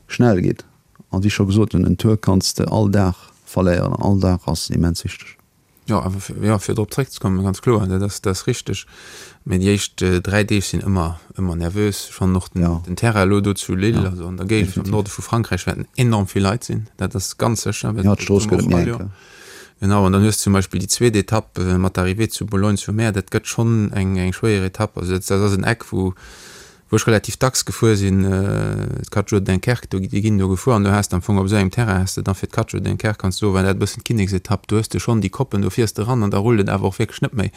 schnell geet. An wéi ech scho gesot hunn, en Tour kanns de all Dag verléieren an all Dag ass immens wichteg. Jo, awer fir, jo, fir drop zréckzekommen, ganz kloer, dat ass, dat ass richteg. Mä déi éischt dräi Deeg sinn ëmmer, ëmmer nervös. Ech fannen och den, den Terrain elo do zu Lille, also an der Géigend am Norde vu Frankräich, wäerten enorm vill Leit sinn. Dat ass ganz sécher, well Jo, d'Strooss gëtt et méi enk. Genau, an dann hues de zum Beispill déi zweet Etapp mat der Arrivée zu Boulogne-sur-Mer, dat gëtt schonn eng, eng schwéier Etapp. Also dat, dat ass en Eck, wou, wou ech relativ dacks gefuer sinn, d'Quattro Jours de Dunkerque, do, déi ginn do gefuer an do has de am Fong op esou engem Terrain has de dann fir d'Quattro Jours de Dunkerque kanns de soen, war dat e bëssen d'Kinneksetapp, do hues de schonn déi Koppen, do fiers de eran an da rullt et awer och wierklech net méi,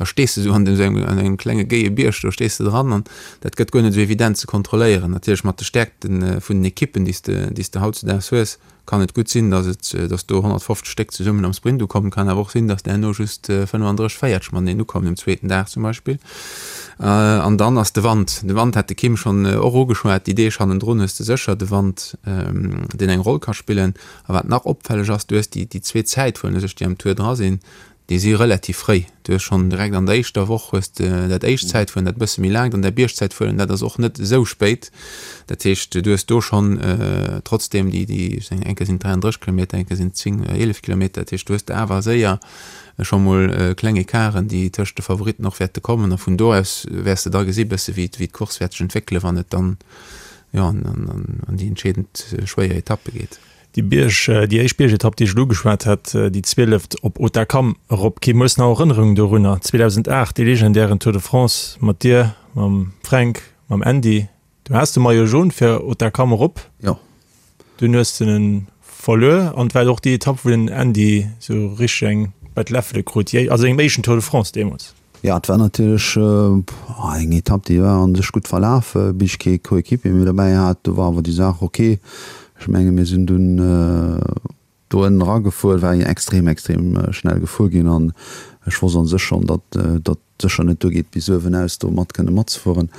da stees de esou an esou engem, an engem klenge géie Bierg, do stees de dran an dat gëtt guer net esou evident ze kontrolléieren, natierlech mat de Stäerkte vun den Ekippen, déi s de, déi s de hautzedaags hues. kann et gutt sinn, dass et, dass do honnertfofzeg Stéck zesummen am Sprint ukommen. Kann awer och sinn, dass der herno just fënnefandrësseg, véierzeg mateneen ukommen um zweeten Dag zum Beispill. An dann ass de Wand. De Wand hat de Kim schonn och ugeschwat. Déi Deeg hannendrun hues de sécher de Wand, deen eng Roll ka spillen. A wat nach opfälleg ass, du hues déi zwee Zäitfueren u sech, déi am Tour dra sinn, déi si relativ fréi. Du hues schonn direkt an der éischter Woch hues de dat éischt Zäitfueren, dat e bësse méi laangt, an dat Biergzäitfueren, dat ass och net esou spéit. Dat heescht, du hues do schonn trotzdeem déi, déi, ech mengen eng Kéier sinn et dräiandrësseg Kilometer, eng Kéier sinn et zéng, eelef Kilometer. Dat heescht, du hues de awer séier scho mol kleng Ecarten, déi tëscht de Favoritten och wäerte kommen. A vun do aus wäers de da gesi bësse wéi d'Course wäert sech entwéckelen, wann et dann, jo, an déi entscheedend schwéier Etappe geet. Déi Bierg, déi éischt Biergetapp, déi ech elo ugeschwat hat, déi zwieleft op Hautacam erop. Kee hues nach Erënnerungen dorunner? zweedausendacht, dee legendären Tour de France mat dir, mam Fränk, mam Andy. Du has de Maillot jaune fir Hautacam erop. Jo. Dunn hues de en verluer an et war och déi Etapp, wou den Andy sou richteg eng bei d'Läffele krut, a sengem éischten Tour de France deemools. Jo, et war natierlech eng Etapp, déi war an sech gutt verlaf, bis ech kee Coéquipier méi dobäi hat. Do war awer déi Saach ok. Ech menge mir sinn dunn do ënnen eragefuer, et war extrem, extrem schnell gefuer ginn an ech wosst an sech schonn, datt datt sécher net duergeet bis uewen aus do mat kënne matzefueren.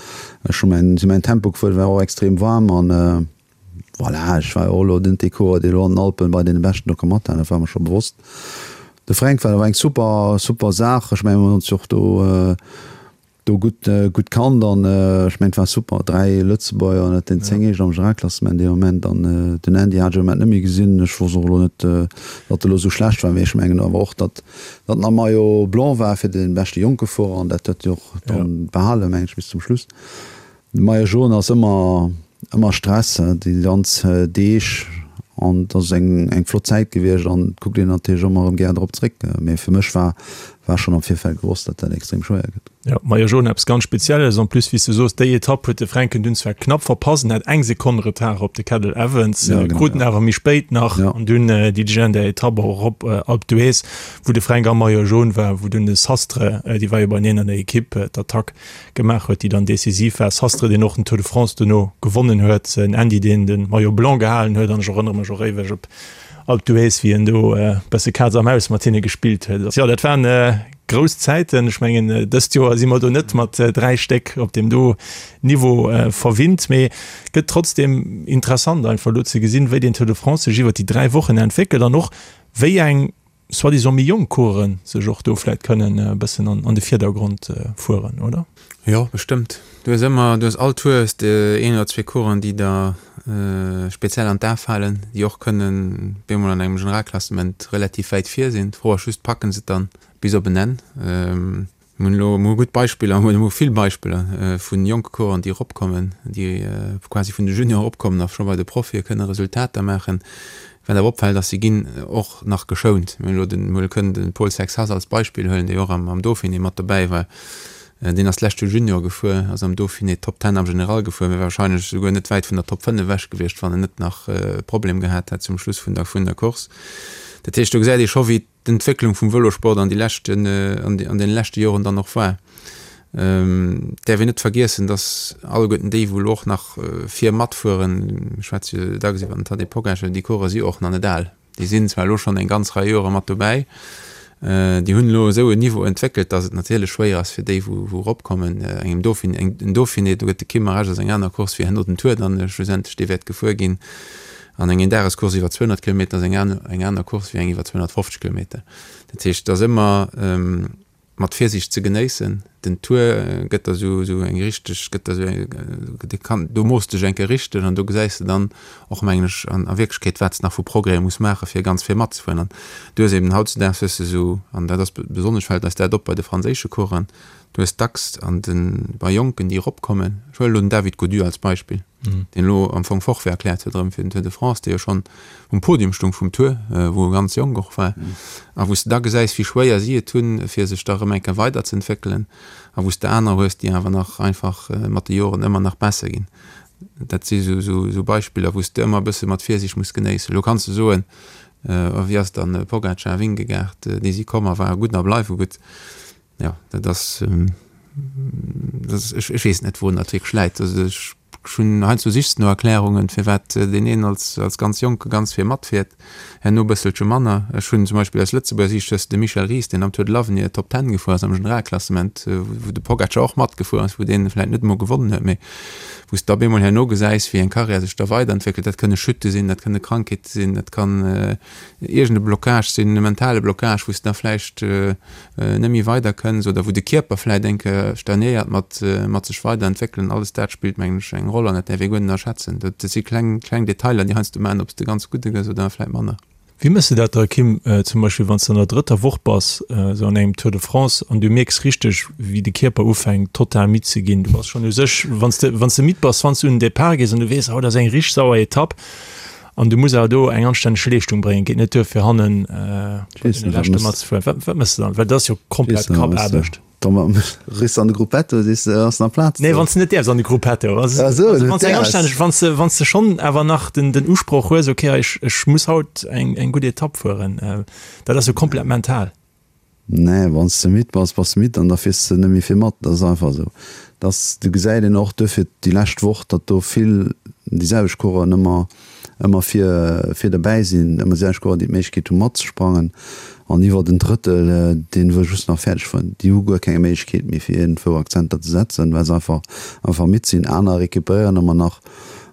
Ech hu mäin, si mäin Tempo gefuer, et war och extrem waarm an voilà, ech war jo och elo net dee Coureur, dee elo an den Alpen bei deene Beschten do ka mathalen, dat war mer scho bewosst. De Fränk war awer eng super, super Saach. Ech mengen, mir hunn ons jo och do, do gutt, gutt kannt an ech mengen, et war super, dräi Lëtzebuerger ënnert den zéng Éischten am Generalklassement dee Moment. An den Andy hat ech am Moment net méi gesinn. Ech wosst och elo net, datt e elo esou schlecht war, mee ech mengen awer och, datt, datt en am Maillot blanc war fir de beschte jonke Fuerer an dat huet e och dann behalen, mengen ech, bis zum Schluss. De Maillot jaune ass ëmmer, ëmmer Stress, déi ganz Deeg an et ass eng, eng flott Zäit gewiescht an et kuckt een natierlech ëmmer erëm gär drop zréck. Mee fir mech war, war schonn am Virfeld gewosst, datt dat extrem schwéier gëtt. Jo, Maillot jaune eppes ganz Spezielles. En plus, wéi s de soos, déi Etapp huet de Fränken dunn zwar knapp verpasst, en hat eng Sekonn Retard op de Cadel Evans, Ja, genau, krut en ja. awer méi spéit nach Ja. an dunn déi legendär Etapp och erop Alpe d'Huez, wou de Fränk am Maillot jaune war, wou dunn de Sastre, déi war jo beieneen an der Ekipp, d'Attack gemaach huet, déi dann decisiv war. Sastre, deen och den Tour de France dono gewonnen huet, en Andy, deen de Maillot blanc gehalen huet, an ech erënnere mech och éiweg op Alpe d'Huez, wéi en do e bësse Kaz a Maus mat hinne gespillt huet. Jo, dat waren grouss Zäiten. Ech mengen, dëst Joer si mer do net mat dräi Stéck op deem do Niveau verwinnt, mee gëtt trotzdem interessant einfach elo ze gesinn, wéi den Tour de France sech iwwer déi dräi Wochen entwéckelt an och wéi eng soi-disant méi jonk Coureuren sech och do vläit kënnen e bëssen an de Virdergrond fueren, oder? Jo, bestëmmt. Du hues ëmmer, du hues all Tour hues de een oder zwee Coureuren, déi der speziell an d'A falen, déi och kënnen bemol an engem Generalklassement relativ wäit vir sinn. D'Fro ass just, packen se et dann bis op en Enn? Mir hunn elo mol gutt Beispiller, mir hunn elo vill Beispiller vu jonke Coureuren, déi eropkommen, déi quasi vun de Juniore eropkommen a scho bei de Profie kënne Resultater maachen. Wat awer opfält, ass, si ginn och nach geschount. Mir hunn elo den, mir kënnen de Paul Sexas als Beispill huelen, dee jo och am Dauphiné mat dobäi war. Deen ass d'lescht Joer Junior gefuer, ass am Dauphiné Top Ten am General gefuer, wär warscheinlech esouguer net wäit vun der Top fënnef ewech gewiescht, wann en net nach e Problem gehat hätt zum Schluss vun der, vun der Course. Dat heescht, do gesäit ee scho wéi d'Entwécklung vum Vëlosport an déi leschten, an deene leschte Joren dann och war. Et däerf een net vergiessen, datt alleguerten déi, wou elo och nach vir matfueren, ech schwätze jo dacks iwwer den Tadej Pogacar, déi Coureuren si och nach net al. Déi sinn zwar elo schonn eng ganz Rei Jore mat dobäi, déi hunn elo esou en Niveau entwéckelt, datt et natierlech schwéier ass fir déi, wou eropkommen. Engem Dauphiné, en Dauphiné, do gëtt de Kim mer Recht, ass eng aner Course wéi herno den Tour dann schlussendlech, dee wäert gefuer ginn. An eng Eendagescourse iwwer zweehonnert Kilometer ass eng aner Course wéi eng iwwer zweehonnertfofzeg Kilometer. Dat heescht, et ass ëmmer mat Virsiicht ze genéissen. Den Tour gëtt der esou esou eng richteg, gëtt der esou eng, dee kann, do mooss dech eng Kéier richteg an do gesäis de dann och, mengen ech, an a Wierklechkeet, wat s de nach vu Progrèse muss maachen, fir ganz vir matzefueren. An du hues eben hautzudags hues de esou, an dat ass besonnesch fält eis dat op bei de franséische Coureuren, du hues dacks an de bei Jonken, déi eropkommen, ech huelen elo den David Gaudu als Beispill, deen elo am Fong Forfait erkläert huet erëm fir den Tour de France, dee jo schonn um Podium stung vum Tour, wou e ganz jonk och war, a wou s de da gesäis, wéi schwéier si et hunn, fir sech da erëm eng Kéier weiderzeentwéckelen, a wou s de aner hues, déi awer nach einfach mat de Joren ëmmer nach besser ginn. Dat si sou Beispiller, wou s de ëmmer e bësse mat Virsiicht muss genéissen. Elo kanns de soen, wéi ass dann Pogacar, Vingegaard, déi si komm a ware gutt a bleiwe gutt. Jo, dat ass, dat ass, ech, ech weess net, wourun dat wierklech läit. Also ech Ech hunn heiansdo sichs no Erklärungen, firwat deen een als als ganz Jonke ganz vir matfiert, herno e bësselche manner. Ech hunn zum Beispill aus Lëtzebuerger Siicht hues de de Michel Ries, deen am Tour de l'Avenir Top Ten gefuer ass am Generalklassement, wou de Pogacar och matgefuer ass, wou deen vläicht net emol gewonnen huet, mee wou s de op eemol herno gesäis, wéi eng Karriär sech da weiderentwéckelt. Dat kënne Chute sinn, dat kënne Krankheete sinn, dat kann iergend e Blocage sinn, e mentale Blocage, wou s de da vläicht net méi weiderkënns oder wou de Kierper vläicht eng Kéier stagnéiert mat mat sech weiderentwéckelen. Alles dat spillt, mengen ech, eng Roll an dat däerf ee guer net ënnerschätzen. Dat si kleng, kleng Detailer, déi heiansdo maachen, ob s de ganz gudde gëss oder vläicht manner. Wéi méchs de dat da, Kim, zum Beispill wann s de an der drëtter Woch bass, esou an engem Tour de France, an du mierks richteg, wéi de Kierper ufänkt total midd ze ginn? Du bass schonn u sech, wann s de, wann s de midd bass, wann s du un den Depart gees an du weess, haut ass eng richteg sauer Etapp, An du muss awer do eng anstänneg Leeschtung bréngen, geet net duer fir hannen bei deene Leschte matzefueren. Wat, wat méchs de dann? Well dat ass jo komplett Kappaarbecht. Riss an de Gruppetto, sees de, ass nach Plaz do? Nee, wann s de net däerfs an de Gruppetto. Also, also wann s eng anstänneg, wann s de, wann s de schonn awer nach den, den Usproch hues, okay, ech, ech muss haut eng, eng gutt Etapp fueren, dat ass jo komplett mental. Nee, wann s de midd bass, bass de midd an da fiers de net méi vill mat. Dat ass einfach esou. Dass, do gesäit een och duerfir déi lescht Woch, datt do vill déi selwecht Coureuren ëmmer, ëmmer vir, vir derbäi sinn, ëmmer déi selwecht Coureuren, déi d'Méiglechkeet hu matzesprangen. An iwwer en Drëttel, dee wëll just nach fäerdeg fueren. Déi hu guer keng Méiglechkeet méi fir iergendwou Akzenter ze setzen, well se einfach, einfach midd sinn. Aner recuperéieren ëmmer nach.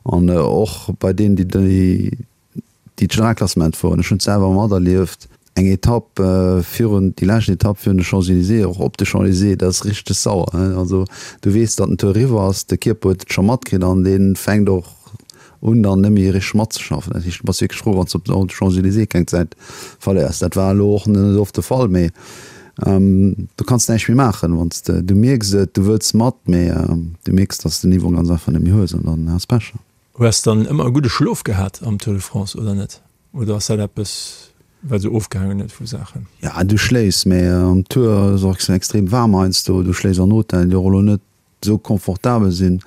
An och bei deenen, déi, déi d'Generalklassement fueren, ech hunn et selwer materlieft, Eng Etapp virun, déi lescht Etapp virun de Champs-Élysées, och op de Champs-Élysées, dat ass richteg sauer. Also du weess, datt den Tour eriwwer ass, de Kierper huet et scho matkritt an dee fänkt och un dann net méi richteg matzeschaffen. Dat heescht, du bass wierklech frou, wann s de op de Champs-Élysées keng Zäit verléiers. Dat war elo och net oft de Fall, mee du kanns näischt méi maachen, wann s de, du mierks et, du wëlls mat, mee du mierks, datt s de den Niveau ganz einfach net méi hues an dann has Pech. Hues dann ëmmer e gudde Schlof gehat am Tour de France oder net? Oder ass dat eppes, wat esou ofgehaangen huet vu Saachen? Ja, du schléifs, mä am Tour ass och extrem waarm heiansdo. Du schléifs an Hotellen, déi och elo net esou confortabel sinn.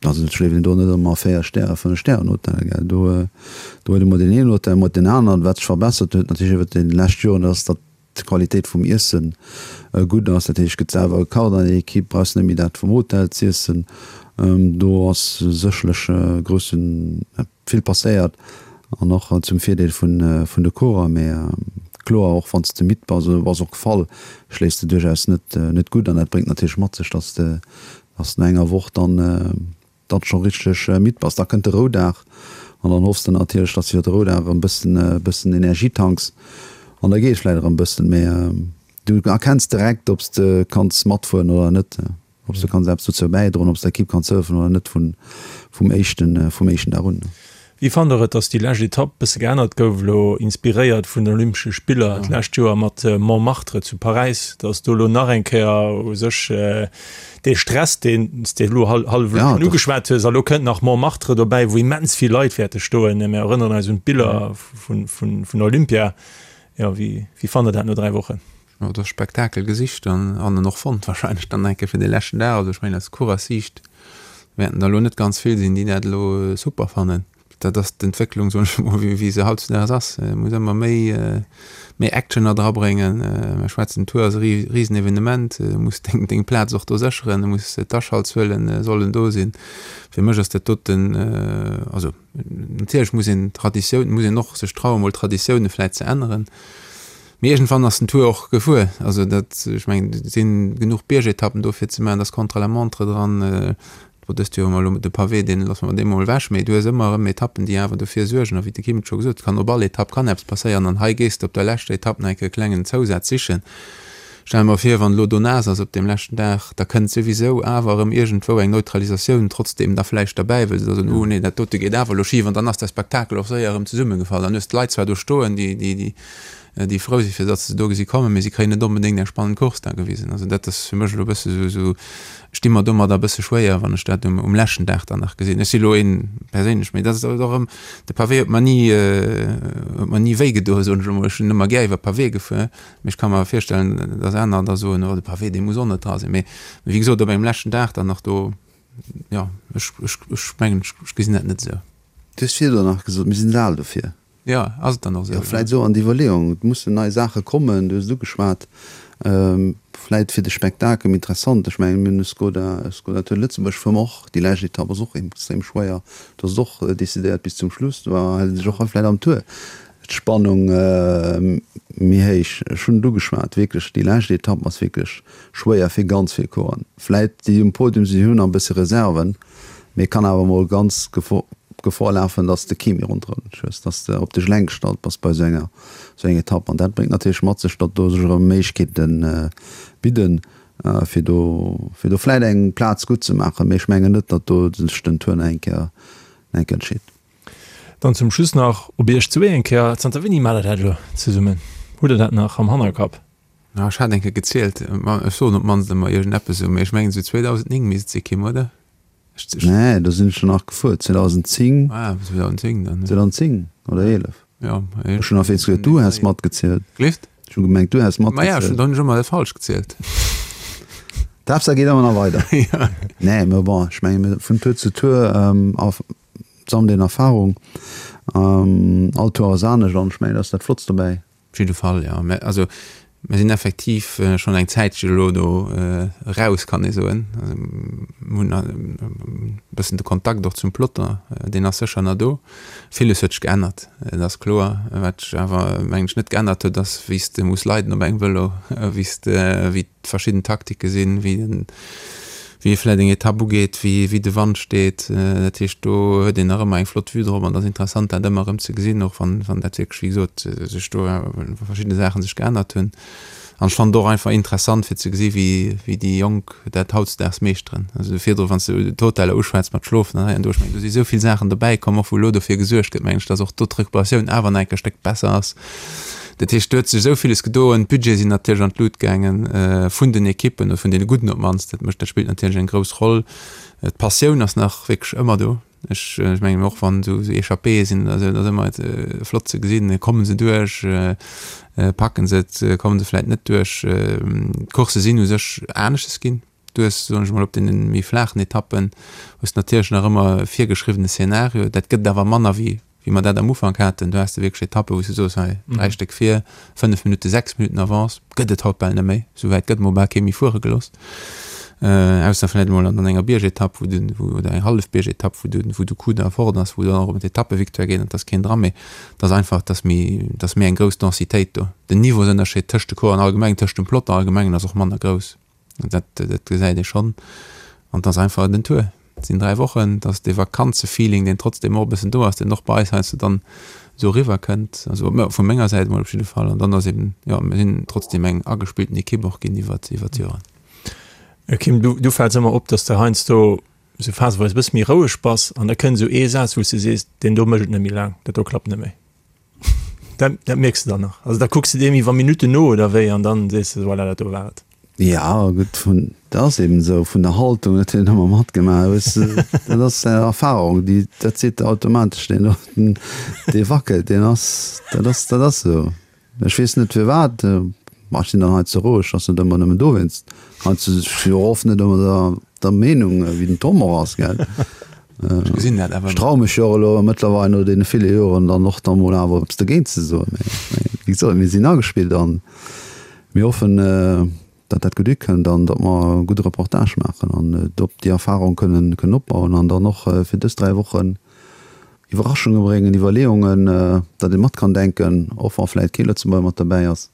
Also et schléift een do net ëmmer a véier Stäre, fënnef Stären Hotellen, gell. Do, do huet emol deen een Hotel, emol deen aneren. Wat sech verbessert huet natierlech iwwert déi lescht Joren, dat ass, datt d'Qualitéit vum Iesse gutt ass. Dat heescht, et gëtt selwer gekacht an der Equipe, brauchs net méi dat vum Hotel z'iessen. Do ass sécherlech e groussen, vill passéiert an och zum Virdeel vun de Coureur. Mee kloer, och wann s de midd bass oder du bass och gefall, schléifs de duerchaus net net gutt an dat bréngt natierlech mat sech, datt s de datt no enger Woch dann dann scho richteg midd bass. Da kënnt de Roudag an dann hoffs de natierlech, datt s de iwwer de Roudag erëm bëssen bëssen Energie tanks an da geet et vläicht erëm bëssen. Mee du erkenns direkt, ob s de kanns matfueren oder net. Ob s de kanns eppes dozou bäidroen, ob s der Ekipp kanns hëllefen oder net vun, vum éischten, vum éischten Dag un. Wéi fannt der et, datt déi lescht Etapp bësse geännert gouf, elo inspiréiert vun den Olympesche Spiller d'lescht Joer mat Montmartre zu Paräis, datt do elo nach eng Kéier u sech dee Stress, deen s de elo hallef elo schonn ugeschwat hues, a lo kënnt nach Montmartre dobäi, wou immens vill Leit wäerte stoen, mir erënneren eis un d'Biller vun, vun, vun Olympia. Jo, wéi, wéi fannt der dat no dräi Wochen? Jo, do Spektakel gesicht an an en och fonnt wahrscheinlech dann enke fir de leschten Dag. Also ech mengen aus Coureurs-Siicht wäerten der elo net ganz vill sinn, déi dat elo super fannen. Dat ass d'Entwécklung, soen ech emol, wéi se hautzudaags ass. Et muss ëmmer méi méi Action erdrabréngen. Mir schwätzen, Tour ass e Risenevenement, du muss deng deng Plaz och do sécheren, du muss d'Aschaltzuelen sollen do sinn. Fir mech ass dat doten, also natierlech muss een Traditioun, muss een och sech trauen, mol Traditioune vläicht ze änneren. Mee iergendwann ass den Tour och gefuer. Also dat, ech mengen, et si genuch Biergetappen do fir ze maachen, da ass Contre-la-montre dran. Bon, dëst Joer hu mer elo de Pavé, deen loosse mer dee mol ewech. Mee du hues ëmmer erëm Etappen, déi awer dofir suergen. A wéi de Kim et scho gesot huet, kann op all Etapp kann eppes passéieren. An hei gees de op der leschter Etapp nach eng Kéier e klengen Zousaz sichen. Stell mer vir, wann elo do naass ass op deem leschten Dag, da kënnt souwisou awer erëm iergendwou eng Neutralisatioun trotzdeem da vläicht derbäi, well se da soen, oh nee, dat dote geet awer elo schif. An dann ass de Spektakel och séier erëm zesummegefall. Dann hues d'Leit zwar do stoen, déi, déi, déi, déi frou si fir datt se do gesi kommen, mee si kréien net onbedéngt eng spannend Course da gewisen. Also dat ass fir mech elo e bësse sou, sou, ech di mer domadder e bësse schwéier, wann ech dat um, um leschten Dag dann nach gesinn. Ech si elo een perséinlech, mee dat ass och erëm, de Pavé huet mer ni, huet mer ni wéi gedoen, soen ech elo mol. Ech sinn ëmmer gär iwwer Pavé gefuer, mee ech ka mer virstellen, datt aner da soen, oh de Pavé dee muss och net dra sinn. Mee wéi gesot, op engem leschten Dag dann nach do, jo, ech, ech, ech mengen, ech gesinn dat net esou. Du hues virdrun nach gesot, mir sinn al dofir. Jo, ass et dann och esou? Jo, vläit esou an d'Iwwerleeung, et mussen nei Saache kommen, du hues et ugeschwat, Vläit fir de Spektakel méi interessant. Ech mengen, mir hunn e Skoda, e Skoda Tour de Lëtzebuerg fuere mer och, déi lescht Etapp ass och extrem schwéier, do ass et och decidéiert bis zum Schluss. Do hält sech och vläit am Tour d'Spannung méi héich. Ech hunn et ugeschwat, wierklech déi lescht Etapp ass wierklech schwéier fir ganz vill Coureuren. Vläit déi um Podium sinn, hunn nach e bësse Reserven, mee kann awer mol ganz Gefor lafen, datt s de kee méi ronderëm dech hues, datt s de op dech eleng gestallt bass bei esou enger esou enger Etapp. An dat bréngt natierlech mat sech, datt do sech erëm Méiglechkeete bidden, fir do fir do vläit eng Plaz gutt ze maachen. Mee ech mengen net, datt do sech den Tour nach eng Kéier nach eng Kéier entscheet. Dann zum Schluss nach op Iech zwee eng Kéier, Zanter wéini maacht der dat elo zesummen? Hutt der dat nach am Hannerkapp? Ech hat eng Kéier gezielt, ech soen op d'mannst ëmmer iergendeppes esou, mee ech mengen esou zweedausendnéng misst et si Kim, oder? Nee, do sinn ech jo nach gefuer, zweedausendzéng. Ah, zweedausendzéng dann. zweedausendzéng oder eelef. Ja, Ech hunn auf eens geduet, du häss matgezielt. Gleeft? Ech hunn gemengt, du häss Ma ja, ech hunn dann ëmmer falsch gezielt. D'Haaptsaach geet ëmmer nach weider. Ja. Nee, mä bon, ech mengen, vun Tour zu Tour sammelt een Erfahrung. All Tour ass anescht an ech mengen, dat ass dat Flottst dobäi. Op jidde Fall, jo. Mä also mir sinn effektiv schonn eng Zäitche elo do eraus, kann ee soen. Also mir hunn e bëssen de Kontakt och zum Peloton, deen ass sécher nach do. Villes huet sech geännert, dat ass kloer. Wat sech awer, mengen ech, net geännert huet, ass wéi s de muss leiden op engem Vëlo, wéi s de, wéi d'verschidden Taktike sinn, wéi den, wéi ee vläit eng Etapp ugeet, wéi wéi de Wand steet. Dat heescht, do huet een nach ëmmer eng flott Vue drop an et ass interessant, dat ëmmer erëm ze gesinn, och wann wann dat wierklech, wéi gesot, sech do verschidde Saache sech geännert hunn. An ech fannen et och einfach interessant, fir ze gesi wéi wéi déi Jonk dat hautdesdaags meeschteren. Also virdru, wann s de d'Hoteller uschwätz mat Schlofen an hei an do, ech mengen, do si sou vill Saachen dobäi komm, och wou elo dofir gesuergt gëtt, mengen ech, datt och do d'Recuperatioun awer nach enk e Stéck besser ass. Dat heescht, do huet sech esou villes gedoen. D'Budgete sinn natierlech an d'Lut gaangen vun den Ekippen, oder vun deene gudden op d'mannst. Dat mécht, dat spillt natierlech eng grouss Roll. D'Passioun ass nach wierklech ëmmer do. Ech mengen, och wann esou Echappéeë sinn oder esou, et ass ëmmer flott ze gesinn, komme se duerch, packen se et, komme se vläicht net duerch. D'Coursse sinn u sech aneschters ginn. Du hues, soen ech mol, op deene méi flaachen Etappen hues de natierlech nach ëmmer e virgeschriwwene Szenario. Dat gëtt et awer manner wéi wéi mer dat am Ufank haten. Do has de wierklech Etappen, wou s de soos, hei dräi Stéck vir, fënnef Minutten, sechs Minutten Avance, gëtt et haut bal net méi. Esou wäit gëtt mol bal kee méi fuere gelooss, ausser vläicht emol an enger Biergetapp, wou de, wou, oder eng hallef Biergetapp, wou de, wou de Coup da fort ass, wou dann och ëm d'Etappevictoire geet an et ass keen dran. Mee et ass einfach, et ass méi, et ass méi eng grouss Densitéit do. Den Niveausënnerscheed tëscht de Coursen allgemeng, tëscht dem Peloton allgemengen ass och manner grouss. Dat, dat gesäit ee schonn. An et ass einfach den Tour. Et sinn dräi Wochen, et ass dee Vakanzefeeling, deen trotzdem och e bëssen do ass, deen och bei eis heiansdo dann esou eriwwer kënnt. Also vu menger Säit emol op jidde Fall. An dann ass eben, jo, mir sinn trotzdem eng agespillten Ekipp och ginn iwwert, iwwert d'Joren. Kim, du, du fäls ëmmer op, dass de heiansdo esou phaseweis e bësse méi roueg bass an da kënnt esou ee Saz, wou s de sees, deen do mécht et net méi laang, dat do klappt net méi. Dat, dat mierks de dann nach. Also da kucks de deem iwwer Minutten no oder wéi an dann sees de, voilà, dat do war et. Ja, gutt, vun, dat ass eben esou, vun der Haltung, dat huet een ëmmer matgemaach, weess de, dat ass Erfahrung, déi, dat seet der automatesch, deen doten, dee wackelt, deen ass, dat ass, dat ass esou. Ech weess net firwat, ma ech sinn dann hei ze roueg, ass net ëmmer nëmmen dowéinst, heiansdo si ech och oft net ëmmer der, der Meenung, wéi den Tom och ass, gell. Ech gesinn dat awer. Ech traue mech jo och elo mëttlerweil no deene ville Joren dann och da mol awer eppes dogéint ze soen. Mee wéi gesot, mir sinn agespillt a mir hoffen, datt dat gutt ukënnt an datt mer e gudde Reportage maachen an op déi Erfarung kënnen kënnen opbauen an dann och fir dës dräi Wochen Iwwerraschunge bréngen, Iwwerleeungen, datt ee mat kann denken, och wa vläicht kee Lëtzebuerger mat derbäi ass.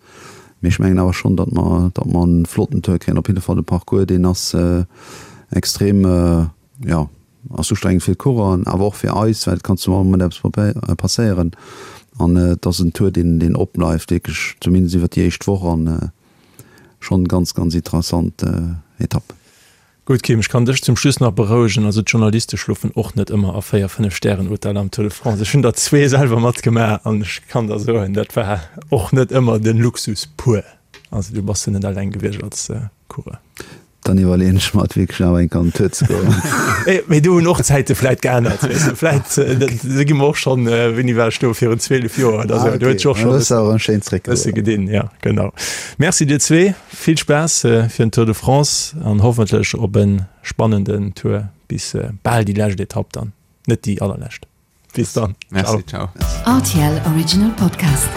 Mee ech mengen awer schonn, datt mer datt mer e flotten Tour kréien. Op jidde Fall de Parcours, deen ass extrem, jo, ass ustrengend fir d'Coureuren, awer och fir eis, well et kann zu all Moment eppes passéieren. An et ass en Tour, deen, deen opbleift, wierklech, zumindest iwwer déi éischt Woch an schonn ganz, ganz interessant Etapp. Gutt, Kim, ech kann dech zum Schluss nach berouegen, also d'Journaliste schlofen och net ëmmer a véier, fënnef Stären-Hoteller am Tour de France. Ech hunn der zwee selwer matgemaach an ech kann der soen, dat war och net ëmmer de Luxus pur. Also du bass jo net eleng gewiescht als Coureur. Dann iwwerleeën ech mer et wierklech awer eng Kéier an den Tour ze goen. Mee do hunn och d'Zäite vläit geännert, weess de. Vläit, do gi mer och schonn, wéini war ech do, virun zwielef Joer oder esou, do huet sech och schonn e bësse gedinn. Jo, genau. Merci dir zwee, vill Spaass fir den Tour de France an hoffentlech op e spannenden Tour bis bal déi lescht Etapp dann, net déi allerlescht. Bis dann. Merci, ciao. Rtl Original Podcast.